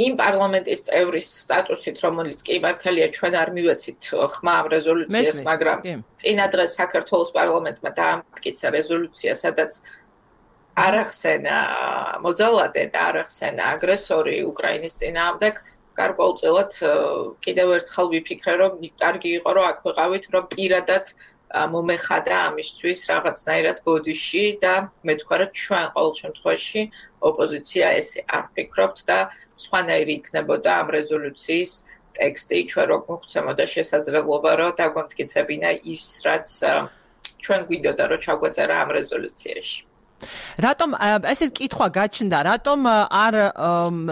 იმ პარლამენტის წევრის სტატუსით, რომელიც კი მართალია ჩვენ არ მივეცით ხმა ამ რეზოლუციას, მაგრამ წინა დღეს საქართველოს პარლამენტმა დაამტკიცა რეზოლუცია, სადაც არ ახსენა მოძალადე და არ ახსენა აგრესორი უკრაინის წინააღმდეგ, გარკვეულწილად კიდევ ერთხელ ვიფიქრე, რომ კარგი იყო, რომ აქ ვიყავით, რომ პირადად მომეხადა ამისთვის რაღაცნაირად ბოდიში და მე თქვა, რომ ჩვენ ყოველ შემთხვევაში ოპოზიცია ესე არ ფიქრობთ და სხვანაირი იქნებოდა ამ რეზოლუციის ტექსტი, ჩვენ რო გვქცემოდა შესაძლებლობა, რომ დაგვამტკიცებინა ის, რაც ჩვენ გვიდოდა, რომ ჩაგვეწერა ამ რეზოლუციაში. რატომ ესეთ კითხვა გაჩნდა, რატომ არ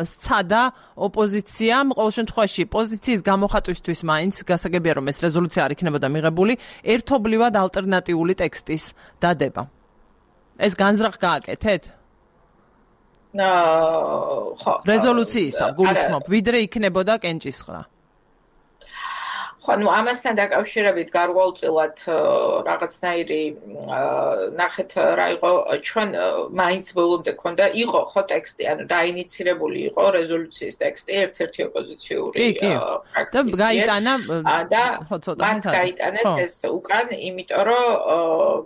სცადა ოპოზიციამ ყოველ შემთხვევაში პოზიციის გამოხატვისთვის მაინც გასაგებია რომ ეს რეზოლუცია არ იქნებოდა მიღებული ერთობლივად ალტერნატიული ტექსტის დადება. ეს განზრახ გააკეთეთ? ხო. რეზოლუციისა გულისხმობ, ვიდრე იქნებოდა კენჭისყრა. ხო, ну ამასთან დაკავშირებით გარკვეულწილად რაღაცნაირი ნახეთ რა იყო ჩვენ მაინც ბოლომდე ქონდა იყო ხო ტექსტი, ანუ დაინიცირებული იყო რეზოლუციის ტექსტი ერთ-ერთი ოპოზიციური ფრაქციის და გაიტანა და მათ გაიტანეს ეს უკან, იმიტომ რომ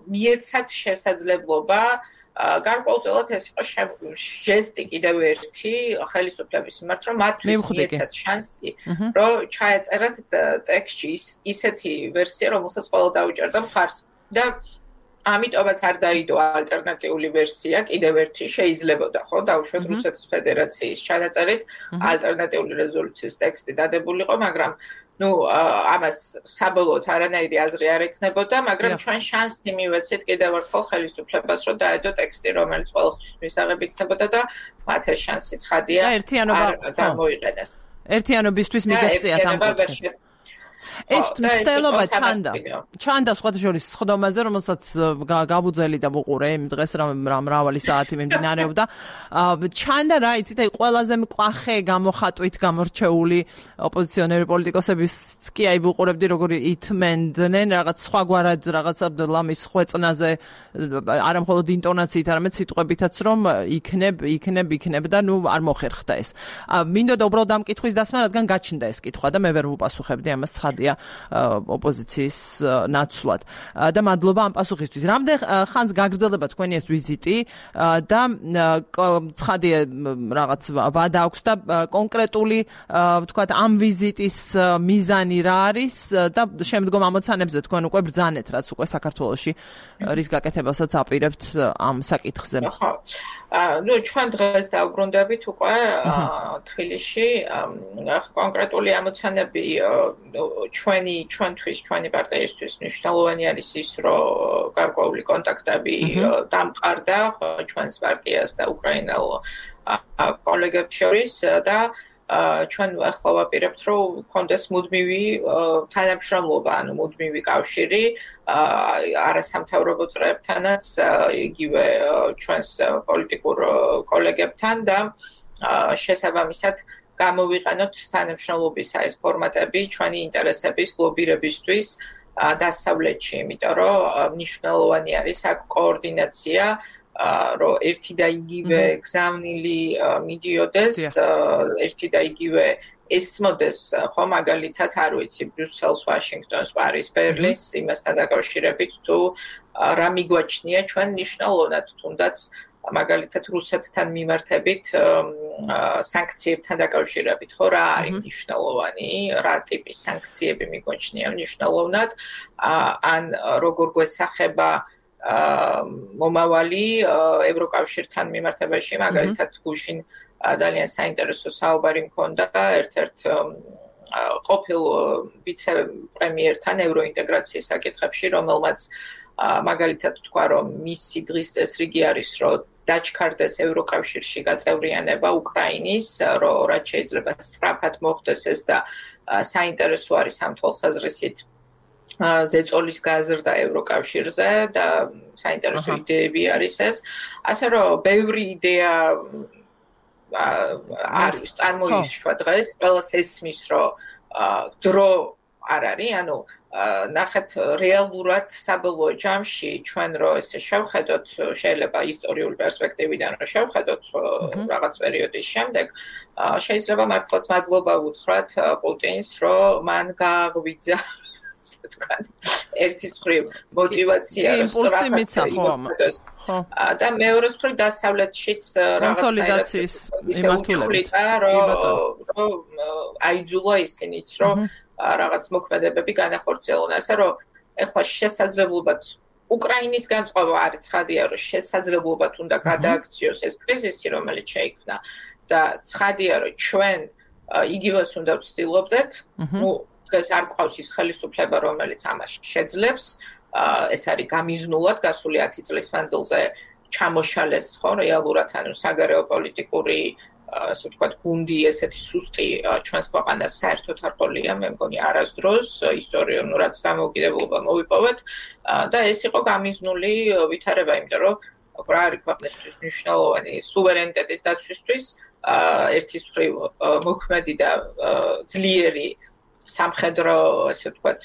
მიეცათ შესაძლებლობა გარკვეულწილად ეს იყო ჟესტი კიდევ ერთი ხელისუფლების მიმართ, რომ მათ მიეცათ შანსი, რომ ჩაეწერათ ტექსტში ისეთი ვერსია, რომელსაც ყველა დაუჭერდა მხარს და ამიტომაც არ დაიდო ალტერნატიული ვერსია, კიდევ ერთი შეიძლებოდა, ხო, დაუშვათ რუსეთის ფედერაციის ჩანაწერით ალტერნატიული რეზოლუციის ტექსტი დადებულიყო, მაგრამ ну ამას საბოლოოდ არანაირი აზრი არ ექნებოდა, მაგრამ ჩვენ შანსი მივეცეთ კიდევ ერთხელ ხელისუფლებას, რომ დაედო ტექსტი, რომელიც ყველასთვის მისაღები იქნებოდა და მათ ეს შანსი ცხადია არ გამოიყენეს. ერთიანობისთვის მიგეღწიათ ამ კუთხით. ეს მცდელობა ჩანდა სხვათა შორის სხდომაზე, რომელსაც გავუძელი და ვუყურე იმ დღეს რა მრავალი საათი მიმდინარეობდა. ჩანდა რა იცით, აი ყველაზე მკვახე გამოხატვით გამორჩეული ოპოზიციონერი პოლიტიკოსებიც კი აი ვუყურებდი როგორი ითმენდნენ რაღაც სხვაგვარად რაღაც ლამის ხვეწნაზე, არა მხოლოდ ინტონაციით, არამედ სიტყვებითაც რომ იქნებ და ნუ არ მოხერხდა ეს. მინდოდა უბრალოდ ამ კითხვის დასმა, რადგან გაჩნდა ეს კითხვა და მე ვერ ვუპასუხებდი ამას ცხადია ოპოზიციის ნაცვლად. და მადლობა ამ პასუხისთვის. რამდენ ხანს გაგრძელდება თქვენი ეს ვიზიტი და ცხადია რაღაც ვადა აქვს და კონკრეტული ვთქვათ ამ ვიზიტის მიზანი რა არის და შემდგომ ამოცანებზე თქვენ უკვე ბრძანეთ რაც უკვე საქართველოში რის გაკეთებასაც აპირებთ ამ საკითხზე. ნუ ჩვენ დღეს დავბრუნდებით უკვე თბილისში კონკრეტული ამოცანები ჩვენი პარტიისთვის მნიშვნელოვანი არის ის რომ გარკვეული კონტაქტები დამყარდა ჩვენს პარტიას და უკრაინელ კოლეგებს შორის და ჩვენ ახლა ვაპირებთ რომ კონდეს მუდმივი თანამშრომლობა, ანუ მუდმივი კავშირი არასამთავრობო წრეებთანაც, იგივე ჩვენს პოლიტიკურ კოლეგებთან და შესაბამისად გამოვიყენოთ თანამშრომლობის ეს ფორმატები ჩვენი ინტერესების ლობირებისთვის დასავლეთში, იმიტომ რომ მნიშვნელოვანი არის აქ კოორდინაცია რომ ერთი და იგივე გზავნილი მიდიოდეს, ერთი და იგივე ესმოდეს, ხო მაგალითად არ ვიცი, ბრიუსელს, ვაშინგტონს, პარიზს, ბერლინს, იმასთან დაკავშირებით თუ რა მიგვაჩნია ჩვენ მნიშვნელოვნად, თუნდაც მაგალითად რუსეთთან მიმართებით სანქციებთან დაკავშირებით, ხო რა არის მნიშვნელოვანი, რა ტიპის სანქციები მიგვაჩნია მნიშვნელოვნად, ან როგორ გვესახება მომავალი ევროკავშირთან მიმართებაში, მაგალითად გუშინ ძალიან საინტერესო საუბარი მქონდა ერთ-ერთ ყოფილ ვიცე-პრემიერთან ევროინტეგრაციის საკითხებში, რომელმაც მაგალითად თქვა, რომ მისი დღის წესრიგი არის, რომ დაჩქარდეს ევროკავშირში გაწევრიანება უკრაინის, რომ რაც შეიძლება სწრაფად მოხდეს ეს და საინტერესო არის ამ თვალსაზრისით ზეწოლის გაზრდა ევროკავშირზე და საინტერესო იდეები არის ეს. ასე რომ ბევრი იდეა არის წარმოიშვა დღეს, ყველას ესმის, რომ დრო არ არის, ანუ ნახეთ რეალურად საბოლოო ჯამში ჩვენ რო ესე შევხედოთ, შეიძლება ისტორიული პერსპექტივიდან რო შევხედოთ რაღაც პერიოდის შემდეგ, შეიძლება მართლაც მადლობა ვუთხრათ პუტინს, რომ მან გააღვიძა ასე ვთქვათ, ერთის მხრივ მოტივაცია რომ სწრაფად და მეორეს მხრივ დასავლეთშიც კონსოლიდაციის მიმართულებით რომ აიძულა ისინიც რომ რაღაც მოქმედებები განახორციელონ, ასე რომ ეხლა შესაძლებლობად უკრაინის განწყობა არის ცხადია, რომ შესაძლებლობად უნდა გადააქციოს ეს კრიზისი, რომელიც შეიქმნა და ცხადია, რომ ჩვენ იგივეს უნდა ვცდილობდეთ, ნუ დღეს არ გვყავს ის ხელისუფლება, რომელიც ამას შეძლებს, ეს არის გამიზნულად გასული 10 წლის მანძილზე ჩამოშალეს, ხო, რეალურად ანუ საგარეო პოლიტიკური ასე ვთქვათ, გუნდი ესეთი სუსტი ჩვენს ქვეყანას საერთოდ არ ყოლია, მე მგონი არასდროს ისტორიულურად დამოუკიდებლობა მოვიპოვეთ და ეს იყო გამიზნული ვითარება, იმიტომ რომ რა არის ქვეყნისთვის მნიშვნელოვანი სუვერენიტეტის დაცვისთვის, ერთის მხრივ მოქმედი და ძლიერი სამხედრო, ასე ვთქვათ,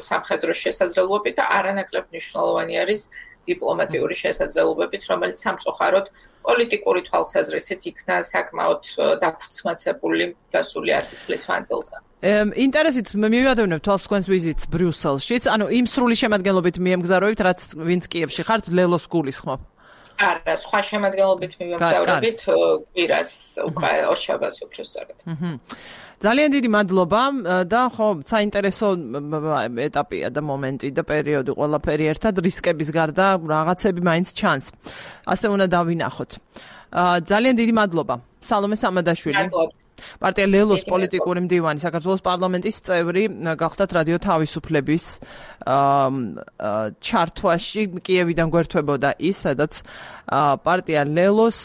სამხედრო შესაძლებლობებით და არანაკლებ მნიშვნელოვანი არის დიპლომატიური შესაძლებლობებით, რომელიც სამწუხაროდ პოლიტიკური თვალსაზრისით იქნა საკმაოდ დაფუძმაცებული გასული 10 წლის მანძილზე. ინტერესით მივადევნებ თვალს თქვენს ვიზიტს ბრიუსელშიც, ანუ იმ სრული შემადგენლობით მიემგზავრებით, რაც ვინც კიევში ხართ, ლელოს გულისხმობ. არა, სხვა შემადგენლობით მივემგზავრებით, კვირას უკვე ორშაბათს უფრო სწორად. ძალიან დიდი მადლობა და ხო, საინტერესო ეტაპია და მომენტი და პერიოდი ყველაფერი ერთად რისკების გარდა რაღაცები მაინც ჩანს. ასე უნდა დავინახოთ. ძალიან დიდი მადლობა. სალომე სამადაშვილი. პარტია ლელოს პოლიტიკური მდივანი, საქართველოს პარლამენტის წევრი, გახდათ რადიო თავისუფლების ჩართვაში კიევიდან გვერდებოდა ის, სადაც პარტია ლელოს,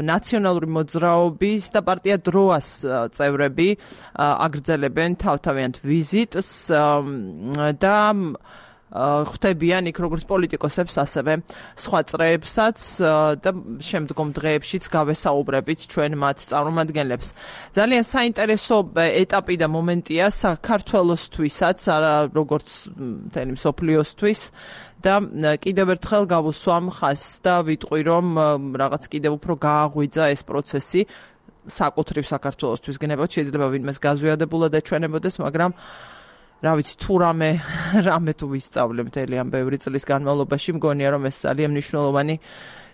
ნაციონალური მოძრაობის და პარტია დროას წევრები აგრძელებენ თავთავიანთ ვიზიტს და ხვდებიან იქ როგორც პოლიტიკოსებს, ასევე სხვა წრეებსაც და შემდგომ დღეებშიც გავესაუბრებით ჩვენ მათ წარმომადგენლებს. ძალიან საინტერესო ეტაპი და მომენტია საქართველოსთვისაც, როგორც მთელი მსოფლიოსთვის და კიდევ ერთხელ გავუსვამ ხაზს და ვიტყვი, რომ რაღაც კიდევ უფრო გააღვიძა ეს პროცესი საკუთრივ საქართველოსთვის გნებავთ, შეიძლება ვინმეს გაზვიადებულად ეჩვენებოდეს, მაგრამ რა ვიცი, თუ რამე თუ ვისწავლე მთელი ამ ბევრი წლის განმავლობაში, მგონია რომ ეს ძალიან მნიშვნელოვანი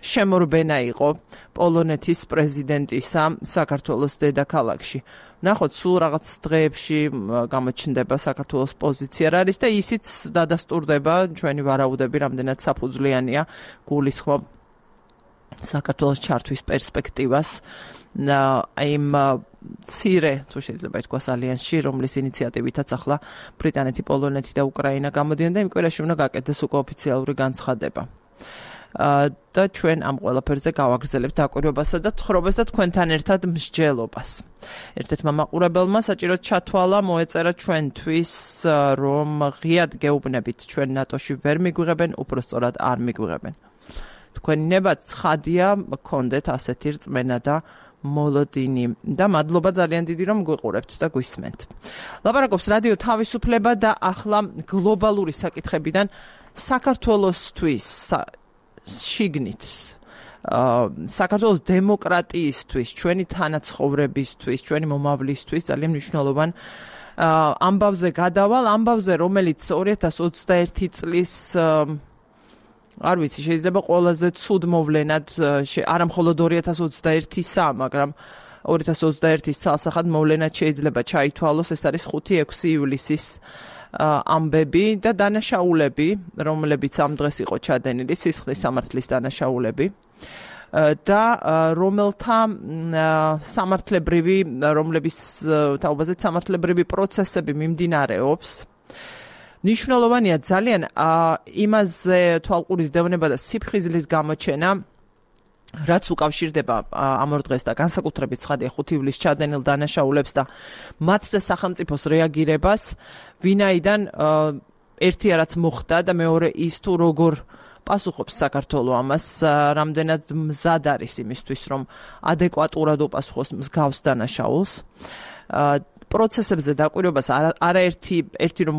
შემორბენა იყო პოლონეთის პრეზიდენტისა საქართველოს დედაქალაქში. ნახოთ, სულ რაღაც დღეებში გამოჩნდება საქართველოს პოზიცია რა არის და ისიც დადასტურდება ჩვენი ვარაუდები, რამდენად საფუძვლიანია გულისხმობ საქართველოს ჩართვის პერსპექტივას იმ ცირე, თუ შეიძლება ითქვას, ალიანსში, რომლის ინიციატივითაც ახლა ბრიტანეთი, პოლონეთი და უკრაინა გამოდიან და იმ კვირაში უნდა გაკეთდეს უკვე ოფიციალური განცხადება. და ჩვენ ამ ყველაფერზე გავაგრძელებთ დაკვირვებასა და თხრობას და თქვენთან ერთად მსჯელობას. ერთ-ერთმა მაყურებელმა საჭიროდ ჩათვალა, მოეწერა ჩვენთვის, რომ ღიად გეუბნებით, ჩვენ ნატოში ვერ მიგვიღებენ, უბრალოდ არ მიგვიღებენ. თქვენი ნება ცხადია, გქონდეთ ასეთი რწმენა და მოლოდინი და მადლობა ძალიან დიდი, რომ გვიყურებთ და გვისმენთ. ლაპარაკობს რადიო თავისუფლება და ახლა გლობალური საკითხებიდან საქართველოსთვის შიგნით საქართველოს დემოკრატიისთვის, ჩვენი თანაცხოვრებისთვის, ჩვენი მომავლისთვის ძალიან მნიშვნელოვან ამბავზე გადავალ, ამბავზე, რომელიც 2021 წლის არ ვიცი, შეიძლება ყველაზე ცუდ მოვლენად, არა მხოლოდ 2021-ისა, მაგრამ 2021-ის ცალსახად მოვლენად შეიძლება ჩაითვალოს, ეს არის 5-6 ივლისის ამბები და დანაშაულები, რომლებიც ამ დღეს იყო ჩადენილი, სისხლის სამართლის დანაშაულები და რომელთა სამართლებრივი, რომლების თაობაზე სამართლებრივი პროცესები მიმდინარეობს. ნიშნულოვანია ძალიან იმაზე თვალყურის დევნება და სიფხიზლის გამოჩენა, რაც უკავშირდება ამ ორ დღეს და განსაკუთრებით ცხადია 5 ივლისს ჩადენილ დანაშაულებს და მათზე სახელმწიფოს რეაგირებას, ვინაიდან ერთი რაც მოხდა და მეორე ის თუ როგორ პასუხობს საქართველოს ამას, რამდენად მზად არის იმისთვის, რომ ადეკვატურად უპასუხოს მსგავს დანაშაულს. პროცესებზე დაკვირვებას არაერთი რომ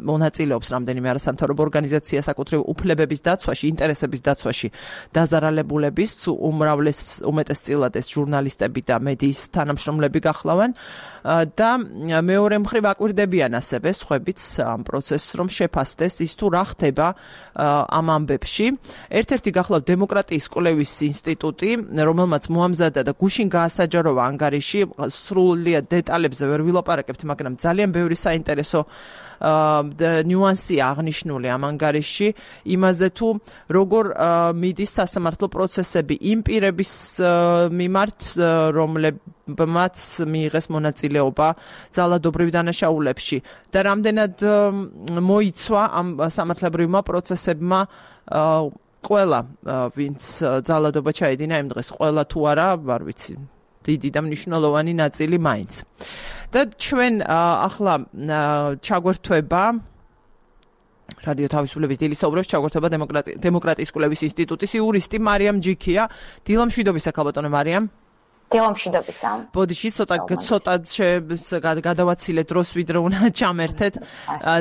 მონაწილეობს რამდენიმე არასამთავრობო ორგანიზაცია საკუთრივ უფლებების დაცვაში, ინტერესების დაცვაში დაზარალებულების, უმეტესწილად ეს ჟურნალისტები და მედიის თანამშრომლები გახლავენ და მეორე მხრივ აკვირდებიან ასევე სხვებიც ამ პროცესს, რომ შეფასდეს ის თუ რა ხდება ამ ამბებში. ერთ-ერთი გახლავთ დემოკრატიის კვლევის ინსტიტუტი, რომელმაც მოამზადა და გუშინ გაასაჯაროვა ანგარიში, სრულიად დეტალებზე ვერ ვილაპარაკებთ, მაგრამ ძალიან ბევრი საინტერესო ნიუანსია აღნიშნული ამ ანგარიშში, იმაზე თუ როგორ მიდის სასამართლო პროცესები იმ პირების მიმართ, რომლებმაც მიიღეს მონაწილეობა ძალადობრივ დანაშაულებში და რამდენად მოიცვა ამ სამართლებრივმა პროცესებმა ყველა, ვინც ძალადობა ჩაედინა იმ დღეს, ყველა თუ არა, არ ვიცი, დიდი და მნიშვნელოვანი ნაწილი მაინც. და ჩვენ ახლა ჩაგვერთვება რადიო თავისუფლების დილისაუბრებს ჩაგვერთვება დემოკრატიის კვლევის ინსტიტუტის იურისტი მარიამ ჯიქია. დილამშვიდობისა, ქალბატონო მარიამ. დილამშვიდობისა. ბოდიში ცოტა გადავაცილეთ დროს, ვიდრე უნდა ჩამერთეთ.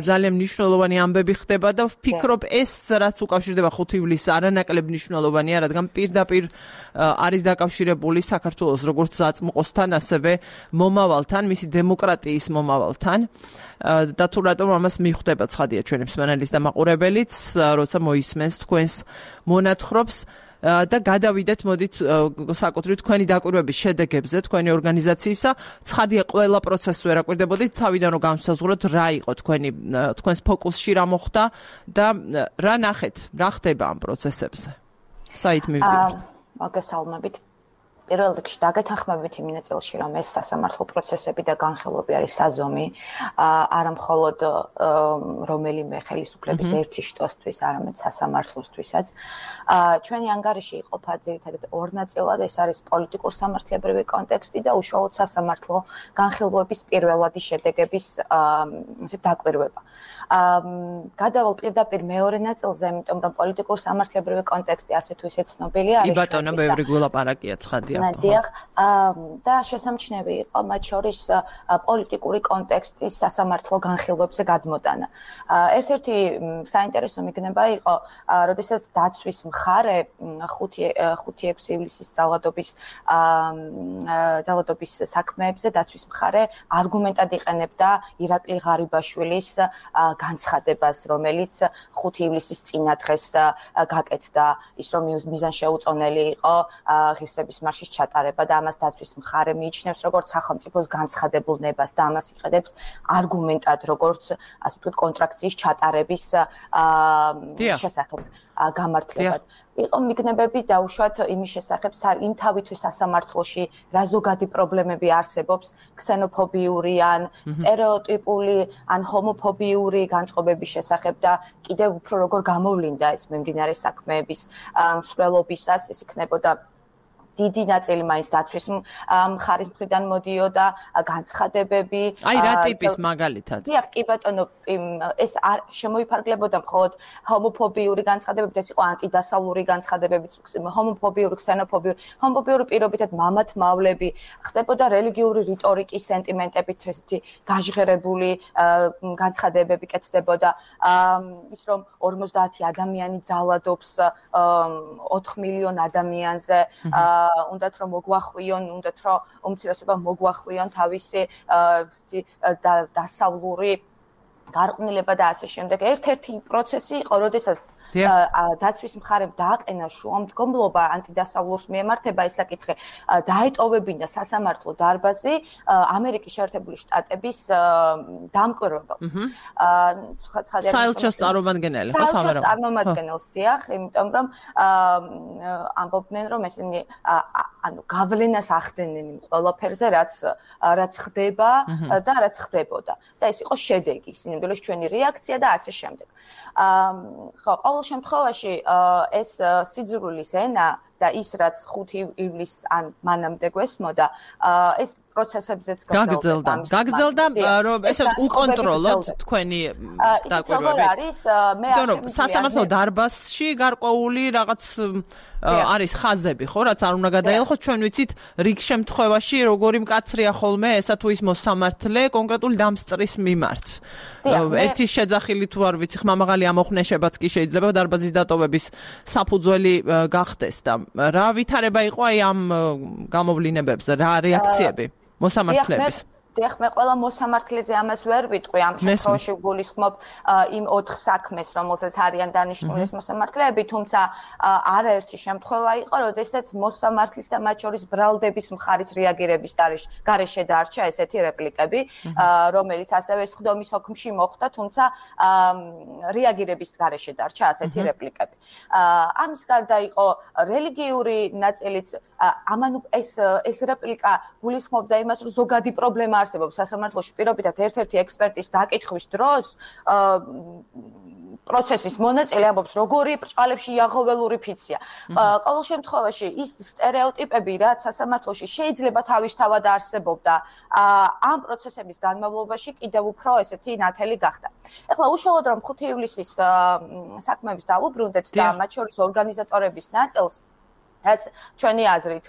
ძალიან მნიშვნელოვანი ამბები ხდება და ვფიქრობ, ეს რაც უკავშირდება 5 ივლისს არანაკლებ მნიშვნელოვანია, რადგან პირდაპირ არის დაკავშირებული საქართველოს როგორც საწმყოსთან, ასევე მომავალთან, მისი დემოკრატიის მომავალთან. და თუ რატომ ამას მიხვდება ცხადია ჩვენი მსმენელის და მაყურებელიც, როცა მოისმენს თქვენს მონათხრობს. და გადავიდეთ, მოდით საკუთრივ თქვენი დაკვირვების შედეგებზე, თქვენი ორგანიზაციისა. ცხადია, ყველა პროცესს ვერ აკვირდებოდით, თავიდან რომ განსაზღვროთ რა იყო თქვენს ფოკუსში რა მოხდა და რა ნახეთ, რა ხდება ამ პროცესებზე. საით მივდივართ? მოგესალმებით. პირველ რიგში დაგეთანხმებით იმ ნაწილში, რომ ეს სასამართლო პროცესები და განხილვები არის საზომი, არა მხოლოდ რომელიმე ხელისუფლების ერთი შტოსთვის, არამედ სასამართლოსთვისაც. ჩვენი ანგარიში იყოფა ძირითადად ორ ნაწილად, ეს არის პოლიტიკურ სამართლებრივი კონტექსტი და უშუალოდ სასამართლო განხილვების პირველადი შედეგების დაკვირვება. გადავალ პირდაპირ მეორე ნაწილზე, იმიტომ რომ პოლიტიკურ სამართლებრივი კონტექსტი ასე თუ ისე ცნობილია არის. კი ბატონო, ბევრი გულაპარაკია ცხადია. დიახ, და შესამჩნევი იყო მათ შორის პოლიტიკური კონტექსტის სასამართლო განხილვებზე გადმოტანა. ერთ-ერთი საინტერესო მიგნება იყო, როდესაც დაცვის მხარე 5-6 ივლისის ძალადობის საქმეებზე დაცვის მხარე არგუმენტად იყენებდა ირაკლი ღარიბაშვილის განცხადებას, რომელიც 5 ივლისის წინა დღეს გაკეთდა, ის რომ მიზანშეუწონელი იყო ღირსების მარშის ჩატარება და ამას დაცვის მხარე მიიჩნევს როგორც სახელმწიფოს განცხადებულ ნებას და ამას იყენებს არგუმენტად როგორც ასე ვთქვათ კონტრაქციის ჩატარების შესახებ გამართლებად. იყო მიგნებები დაუშვათ იმის შესახებ, იმ თავითვე სასამართლოში რა ზოგადი პრობლემები არსებობს ქსენოფობიური ან სტერეოტიპული ან ჰომოფობიური განწყობების შესახებ და კიდევ უფრო როგორ გამოვლინდა ეს მიმდინარე საქმეების მსვლელობისას, ეს იქნებოდა დიდი ნაწილი მაინც დაცვის მხარის მხრიდან მოდიოდა განცხადებები. აი რა ტიპის მაგალითად? დიახ, კი ბატონო, ეს არ შემოიფარგლებოდა მხოლოდ ჰომოფობიური განცხადებებით, ეს იყო ანტიდასავლური განცხადებებიც, ჰომოფობიური, ქსენოფობიური, ჰომოფობიური პირობითად მამათმავლები, ხდებოდა რელიგიური რიტორიკის სენტიმენტებით ესეთი გაჟღერებული განცხადებები კეთდებოდა. ის რომ 50 ადამიანი ძალადობს 4 მილიონ ადამიანზე, უნდათ რომ მოგვახვიონ, უნდათ რომ უმცირესობა მოგვახვიონ თავისი დასავლური გარყვნილება და ასე შემდეგ. ერთ-ერთი პროცესი იყო, როდესაც დაცვის მხარემ დააყენა შუამდგომლობა ანტიდასავლურს მიემართება ეს საკითხი, დაეტოვებინა სასამართლო დარბაზი ამერიკის შეერთებული შტატების დამკვირვებელს. საელჩოს წარმომადგენელი, ხო, საელჩოს წარმომადგენელს, დიახ, იმიტომ რომ ამბობდნენ, რომ ესენი გავლენას ახდენენ იმ ყველაფერზე, რაც ხდება და რაც ხდებოდა. და ეს იყო შედეგი, სინამდვილეს ჩვენი რეაქცია და ასე შემდეგ. ხო, ყოველ შემთხვევაში ეს სიძულვილის ენა და ის რაც 5 ივლისს ან მანამდე გვესმოდა, ეს პროცესებზეც გაგრძელდა, რომ ესე უკონტროლოთ თქვენი დაკვირვები. რომ სასამართლო დარბაზში გარკვეული რაღაც არის ხაზები, ხო, რაც არ უნდა გადაელხოს, ჩვენ ვიცით რიგ შემთხვევაში როგორი მკაცრია ხოლმე ესა თუ ის მოსამართლე კონკრეტული დამსწრის მიმართ. ერთი შეძახილი თუ არ ვიცი, ხმამაღალი ამოხნეშებაც კი შეიძლება დარბაზის დატოვების საფუძველი გახდეს და რა ვითარება იყო აი ამ გამოვლინებებზე, რა რეაქციები მოსამართლეების? დიახ, მე ყველა მოსამართლეზე ამას ვერ ვიტყვი, ამ შემთხვევაში გულისხმობ იმ 4 საქმეს, რომელსაც არიან დანიშნული ეს მოსამართლეები, თუმცა არაერთი შემთხვევა იყო, როდესაც მოსამართლის და მათ შორის ბრალდების მხარის რეაგირების გარეშე დარჩა ესეთი რეპლიკები, რომელიც ასევე სხდომის ოქმში მოხდა, თუმცა რეაგირების გარეშე დარჩა ასეთი რეპლიკები. ამის გარდა იყო რელიგიური ნაწილიც, ამან ეს რეპლიკა გულისხმობდა იმას, რომ ზოგადი პრობლემა არსებობს სასამართლოში, პირობითად ერთ-ერთი ექსპერტის დაკითხვის დროს პროცესის მონაწილე ამბობს, როგორი ბრჭყალებში იაღოველური ფიცია. ყოველ შემთხვევაში ის სტერეოტიპები, რაც სასამართლოში შეიძლება თავისთავად არსებობდა, ამ პროცესების განმავლობაში კიდევ უფრო ესეთი ნათელი გახდა. ეხლა უშუალოდ რომ 5 ივლისის საქმეებს დავუბრუნდეთ და მათ შორის ორგანიზატორების ნაწილს, რაც ჩვენი აზრით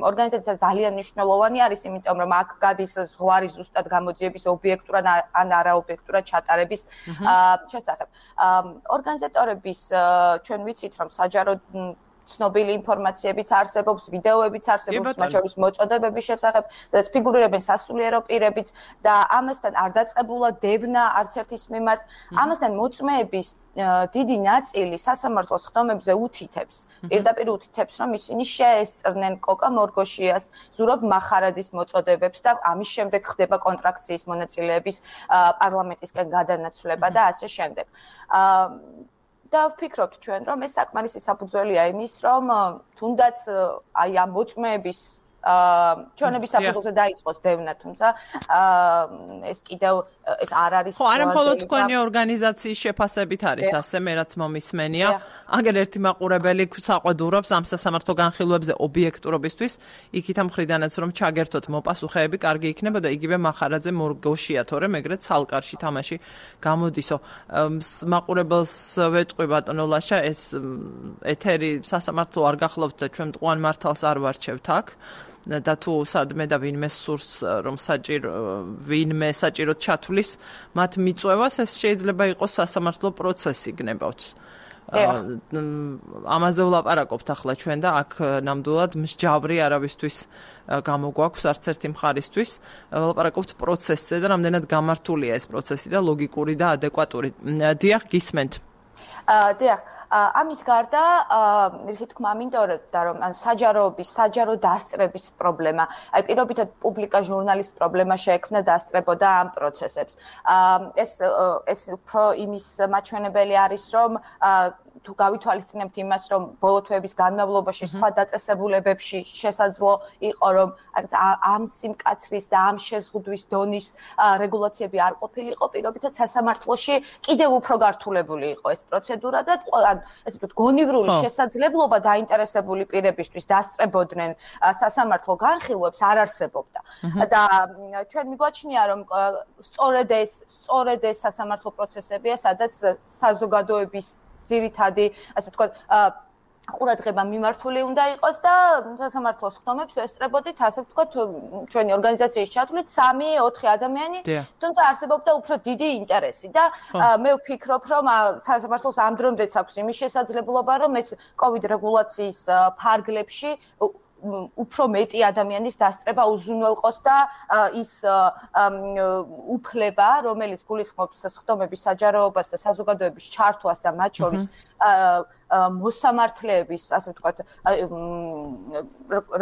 ორგანიზაცია ძალიან მნიშვნელოვანი არის, იმიტომ რომ აქ გადის ზღვარი ზუსტად გამოძიების ობიექტურად ან არაობიექტურად ჩატარების შესახებ. ორგანიზატორების ჩვენ ვიცით, რომ საჯარო ცნობილი ინფორმაციებიც არსებობს, ვიდეოებიც არსებობს, მათ შორის მოწოდებების შესახებ, სადაც ფიგურირებენ სასულიერო პირებიც და ამასთან არ დაწყებულა დევნა არც ერთის მიმართ. ამასთან მოწმეების დიდი ნაწილი სასამართლოს ხდომებზე უთითებს, პირდაპირ უთითებს, რომ ისინი შეესწრნენ კოკა მორგოშიას, ზურაბ მახარაძის მოწოდებებს და ამის შემდეგ ხდება კონტრაქციის მონაწილეების პარლამენტისკენ გადანაცვლება და ასე შემდეგ. და ვფიქრობთ ჩვენ, რომ ეს საკმარისი საფუძველია იმის, რომ თუნდაც აი ამ მოწმეების ჩვენების საფუძველზე დაიწყოს დევნა, თუმცა ეს კიდევ ეს არ არის. ხო, არა მხოლოდ თქვენი ორგანიზაციის შეფასებით არის ასე, მე რაც მომისმენია. აგერ ერთი მაყურებელი საყვედურობს ამ სასამართლო განხილვებზე ობიექტურობისთვის, იქით ამ ხრიდანაც რომ ჩაგერთოთ მოპასუხეები, კარგი იქნება და იგივე მახარაძე მორგოშია, თორემ ეგრეთ სალკარში თამაში გამოდისო. მაყურებელს ვეტყვი ბატონო ლაშა, ეს ეთერი სასამართლო არ გახლავთ და ჩვენ მტყუან მართალს არ ვარჩევთ აქ. და თუ სადმე და ვინმე სურს რომ ვინმე საჭიროდ ჩათვლის მათ მიწვევას ეს შეიძლება იყოს სასამართლო პროცესი გნებავთ. ამაზე ვლაპარაკობთ ახლა ჩვენ და აქ ნამდვილად მსჯავრი არავისთვის გამოგვაქვს არც ერთი მხარისთვის ვლაპარაკობთ პროცესზე და რამდენად გამართულია ეს პროცესი და ლოგიკური და ადეკვატური. დიახ, გისმენთ. დიახ. ამის გარდა ისე თქმა მინდოდა რომ საჯარო დასწრების პრობლემა, აი პირობითად პუბლიკა ჟურნალისტ პრობლემა შეექმნა დასწრებოდა ამ პროცესებს. ეს უფრო იმის მაჩვენებელი არის, რომ თუ გავითვალისწინებთ იმას, რომ ბოლო თვეების განმავლობაში სხვა დაწესებულებებში შესაძლო იყო, რომ ამ სიმკაცრის და ამ შეზღუდვის დონის რეგულაციები არ ყოფილიყო, პირობითად სასამართლოში კიდევ უფრო გართულებული იყო ეს პროცედურა და ესე ვთქვათ, გონივრული შესაძლებლობა დაინტერესებული პირებისთვის დასწრებოდნენ სასამართლო განხილვებს არ არსებობდა. და ჩვენ მიგვაჩნია, რომ სწორედ ეს სასამართლო პროცესებია, სადაც საზოგადოების ძირითადი, ასე ვთქვათ, ყურადღება მიმართული უნდა იყოს და სასამართლოს ხდომებს ესწრებოდით, ასე ვთქვათ, ჩვენი ორგანიზაციის ჩათვლით 3-4 ადამიანი, თუმცა არსებობდა უფრო დიდი ინტერესი და მე ვფიქრობ, რომ სასამართლოს ამ დრომდეც აქვს იმის შესაძლებლობა, რომ ეს COVID რეგულაციის ფარგლებში უფრო მეტი ადამიანის დასწრება უზრუნველყოს და ის უფლება, რომელიც გულისხმობს ხდომების საჯაროობას და საზოგადოების ჩართვას და მათ შორის მოსამართლეების, ასე ვთქვათ,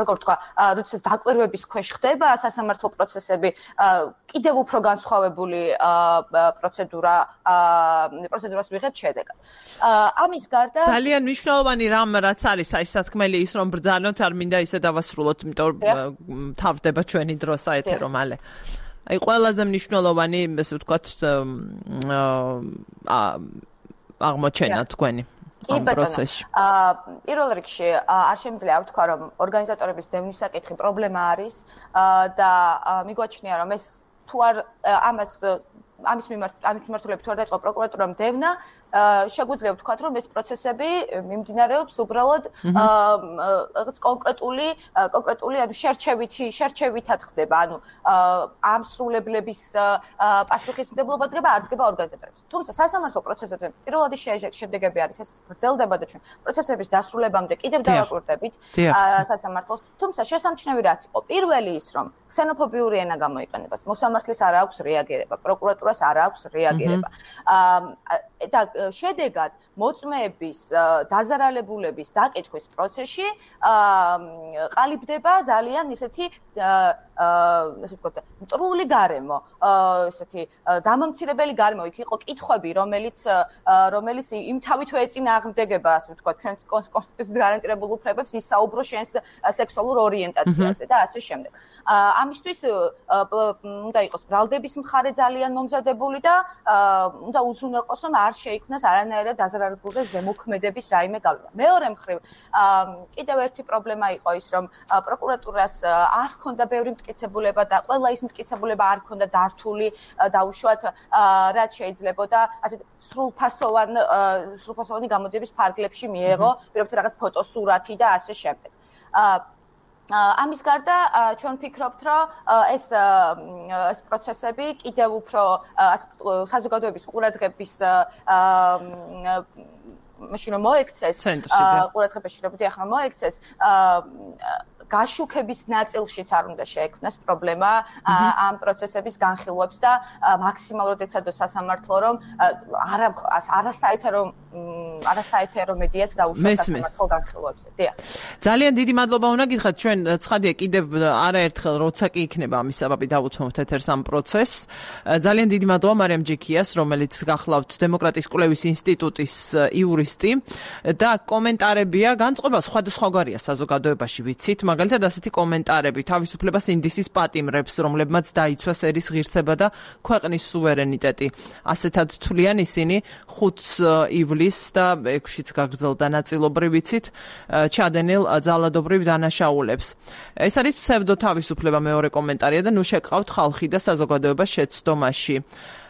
როგორ თქვა, როცა დაკვირვების ქვეშ ხდება სასამართლო პროცესები, კიდევ უფრო განსხვავებული პროცედურას ვიღებთ შედეგად. ამის გარდა ძალიან მნიშვნელოვანი რამ რაც არის, აი სათქმელი ის რომ ბრძანოთ, არ მინდა ისე დავასრულოთ, იმიტომ თავდება ჩვენი დრო საეთერო მალე. აი ყველაზე მნიშვნელოვანი, ასე ვთქვათ, აღმოჩენა თქვენი ამ პროცესში. პირველ რიგში არ შემიძლია ვთქვა, რომ ორგანიზატორების დევნის საკითხი პრობლემა არის და მიგვაჩნია, რომ ეს თუ არ ამის მიმართულებით თუ არ დაიწყო პროკურატურამ დევნა, შეგვიძლია ვთქვათ, რომ ეს პროცესები მიმდინარეობს უბრალოდ რაღაც კონკრეტული ანუ შერჩევითად ხდება, ანუ ამსრულებლების პასუხისმგებლობა დგება არ დგება ორგანიზატორებს. თუმცა სასამართლო პროცესებზე პირველადი შედეგები არის, ეს გრძელდება და ჩვენ პროცესების დასრულებამდე კიდევ დავაკვირდებით სასამართლოს. თუმცა შესამჩნევი რაც იყო, პირველი ის, რომ ქსენოფობიური ენა გამოიყენებას, მოსამართლის არ აქვს რეაგირება, პროკურატურას არ აქვს რეაგირება. და შედეგად მოწმეების დაზარალებულების დაკითხვის პროცესში ყალიბდება ძალიან ისეთი ასე ვთქვათ, მტრული გარემო, ესეთი დამამცირებელი გარემო, იქ იყო კითხვები, რომელიც იმთავით ეწინააღმდეგება, ასე ვთქვათ, ჩვენს კონსტიტუციით გარანტირებულ უფლებებს, ისაუბრო შენს სექსუალურ ორიენტაციაზე და ასე შემდეგ. ამისთვის უნდა იყოს ბრალდების მხარე ძალიან მომზადებული და უნდა უზრუნველყოს, რომ არ შეიქმნას არანაირად დაზარალებული ზემოქმედების რაიმე გავლენა. მეორე მხრივ, კიდევ ერთი პრობლემა იყო ის, რომ პროკურატურას არ ჰქონდა ბევრი მტკიცებულება და ყველა ის მტკიცებულება არ ჰქონდა დართული და უშუალოდ რაც შეიძლებოდა ასე სრულფასოვანი გამოძიების ფარგლებში მიეღო, პირობითად რაღაც ფოტოსურათი და ასე შემდეგ. ამის გარდა ჩვენ ვფიქრობთ, რომ ეს პროცესები კიდევ უფრო საზოგადოების ყურადღების მაშინ რომ მოექცეს ყურადღებაში რომ მოექცეს გაშუქების ნაწილშიც არ უნდა შეექმნას პრობლემა ამ პროცესების განხილვებს და მაქსიმალურად ეცადოს სასამართლო რომ არასაეთერო არასაეთერო მედიაც დაუშვათ სასამართლო განხილვებზე. დიახ. ძალიან დიდი მადლობა უნდა გითხრათ, ჩვენ ცხადია კიდევ არაერთხელ როცა კი იქნება ამის საბაბი დავუთმობთ ეთერს ამ პროცესს. ძალიან დიდი მადლობა მარიამ ჯიქიას, რომელიც გახლავთ დემოკრატიის კვლევის ინსტიტუტის იურისტი და კომენტარებია განწყობა სხვადასხვაგვარია საზოგადოებაში ვიცით, მაგალითად ასეთი კომენტარები თავისუფლებას ინდისის პატიმრებს, რომლებმაც დაიცვა სერის ღირსება და ქვეყნის სუვერენიტეტი. ასეთად თვლიან ისინი 5 ივლისს და 6-იც გაგრძელდა ნაწილობრივ ვიცით ჩადენილ ძალადობრივ დანაშაულებს. ეს არის ფსევდო თავისუფლება მეორე კომენტარია და ნუ შეგყავთ ხალხი და საზოგადოება შეცდომაში.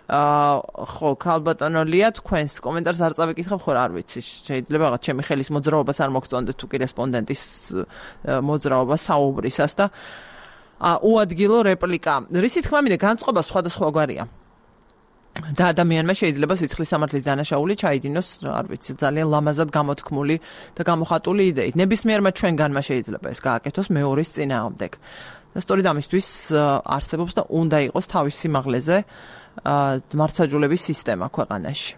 ხო, ქალბატონო ლია, თქვენს კომენტარს არ წავიკითხებ, ხო არ ვიცი. შეიძლება რაღაც ჩემი ხელის მოძრაობაც არ მოგწონდეთ თუ კი რესპონდენტის მოძრაობა საუბრისას და უადგილო რეპლიკა. რისი თქმა მინდა განწყობა სხვადასხვაგვარია. და ადამიანმა შეიძლება სიცხლის სამართლის დანაშაული ჩაიდინოს, არ ვიცი, ძალიან ლამაზად გამოთქმული და გამოხატული იდეით. ნებისმიერმა ჩვენგანმა შეიძლება ეს გააკეთოს მეორის წინააღმდეგ. და სწორედ ამისთვის არსებობს და უნდა იყოს თავის სიმაღლეზე მართლმსაჯულების სისტემა ქვეყანაში.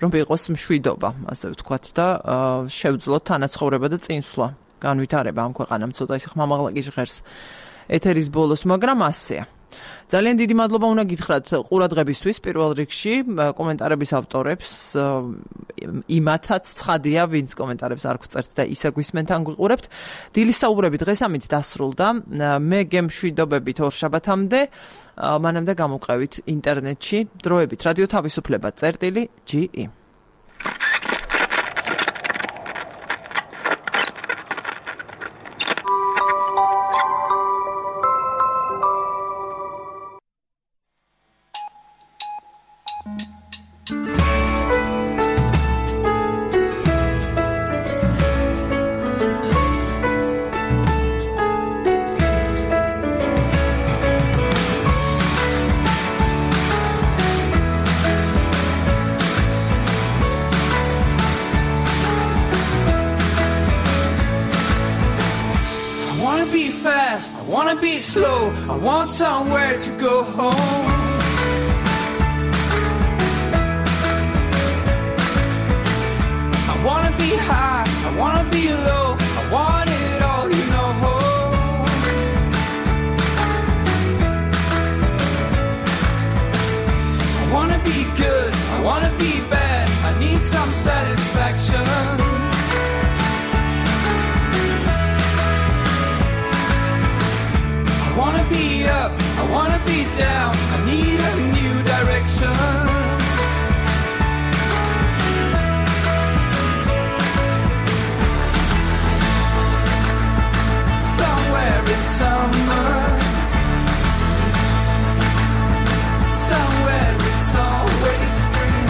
რომ იყოს მშვიდობა, ასე ვთქვათ და შევძლოთ თანაცხოვრება და წინსვლა. განვითარება ამ ქვეყანამ ცოტა ისე ხმამაღლა კი ჟღერს ეთერის ბოლოს, მაგრამ ასეა. ძალიან დიდი მადლობა უნდა გითხრათ ყურადღებისთვის პირველ რიგში კომენტარების ავტორებს, იმათაც ცხადია, ვინც კომენტარებს არ გვწერთ და ისე გვისმენთ ან გვიყურებთ. დილის საუბრები დღეს ამით დასრულდა. მე გემშვიდობებით ორშაბათამდე, მანამდე გამოვყევით ინტერნეტში დროებით რადიო თავისუფლება წერტილი.ge. I want somewhere to go home. I wanna be high, I wanna be low, I want it all, you know. I wanna be good, I wanna be bad, I need some satisfaction. I wanna be up, I wanna be down, I need a new direction. Somewhere it's summer, somewhere it's always spring.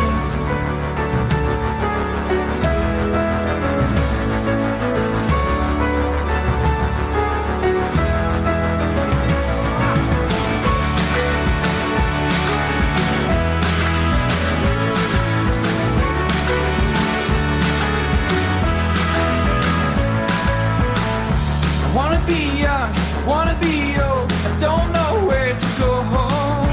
I wanna be young, I wanna be old, I don't know where to go home.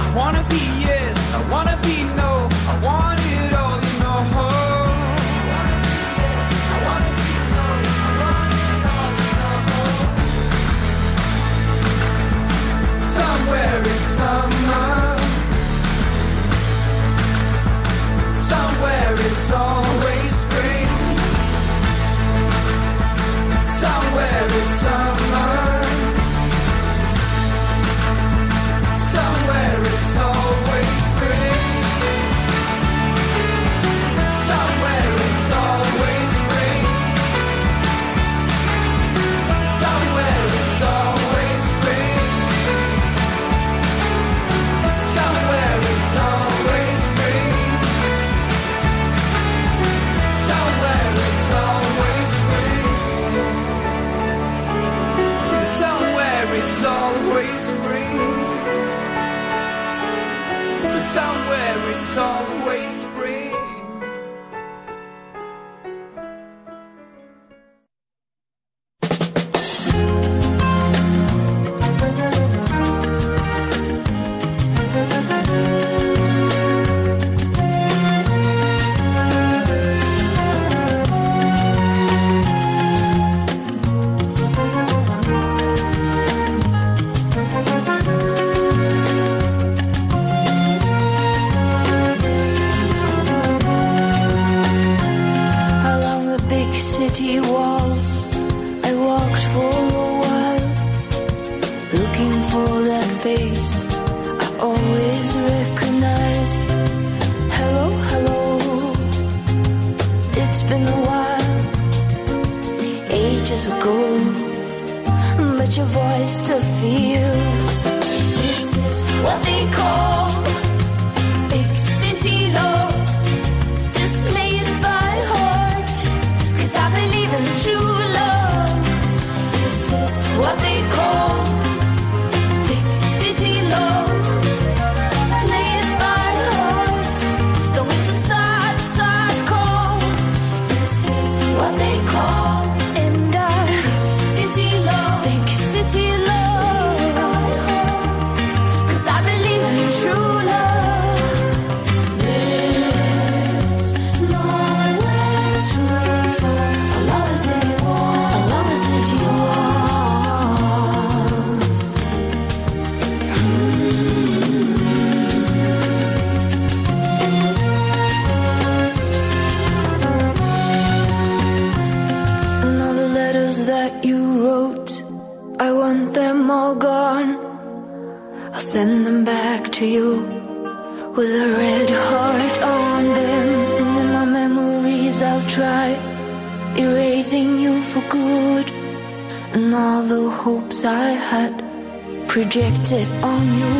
I wanna be yes, I wanna be no, I want it all, you know. Somewhere it's summer, somewhere it's always spring. Somewhere it's summer, somewhere it's always spring. Somewhere it's always spring. Somewhere it's always spring. Somewhere it's always spring. Somewhere it's always spring. Somewhere it's always spring. Somewhere it's always spring. empty walls. I walked for a while, looking for that face I always recognize. Hello, hello, it's been a while, ages ago, but your voice still feels. This is what they call big city love. Just play it by heart, 'cause I believe in true love. This is what they call big city love. Play it by heart, though it's a sad, sad call. This is what they call big city love, 'cause I believe in true love. There's nowhere to fall along the city walls, along the city walls. And all the letters that you wrote, I want them all gone. I'll send them back to you with a red heart on them. And in my memories I'll try erasing you for good, and all the hopes I had projected on you.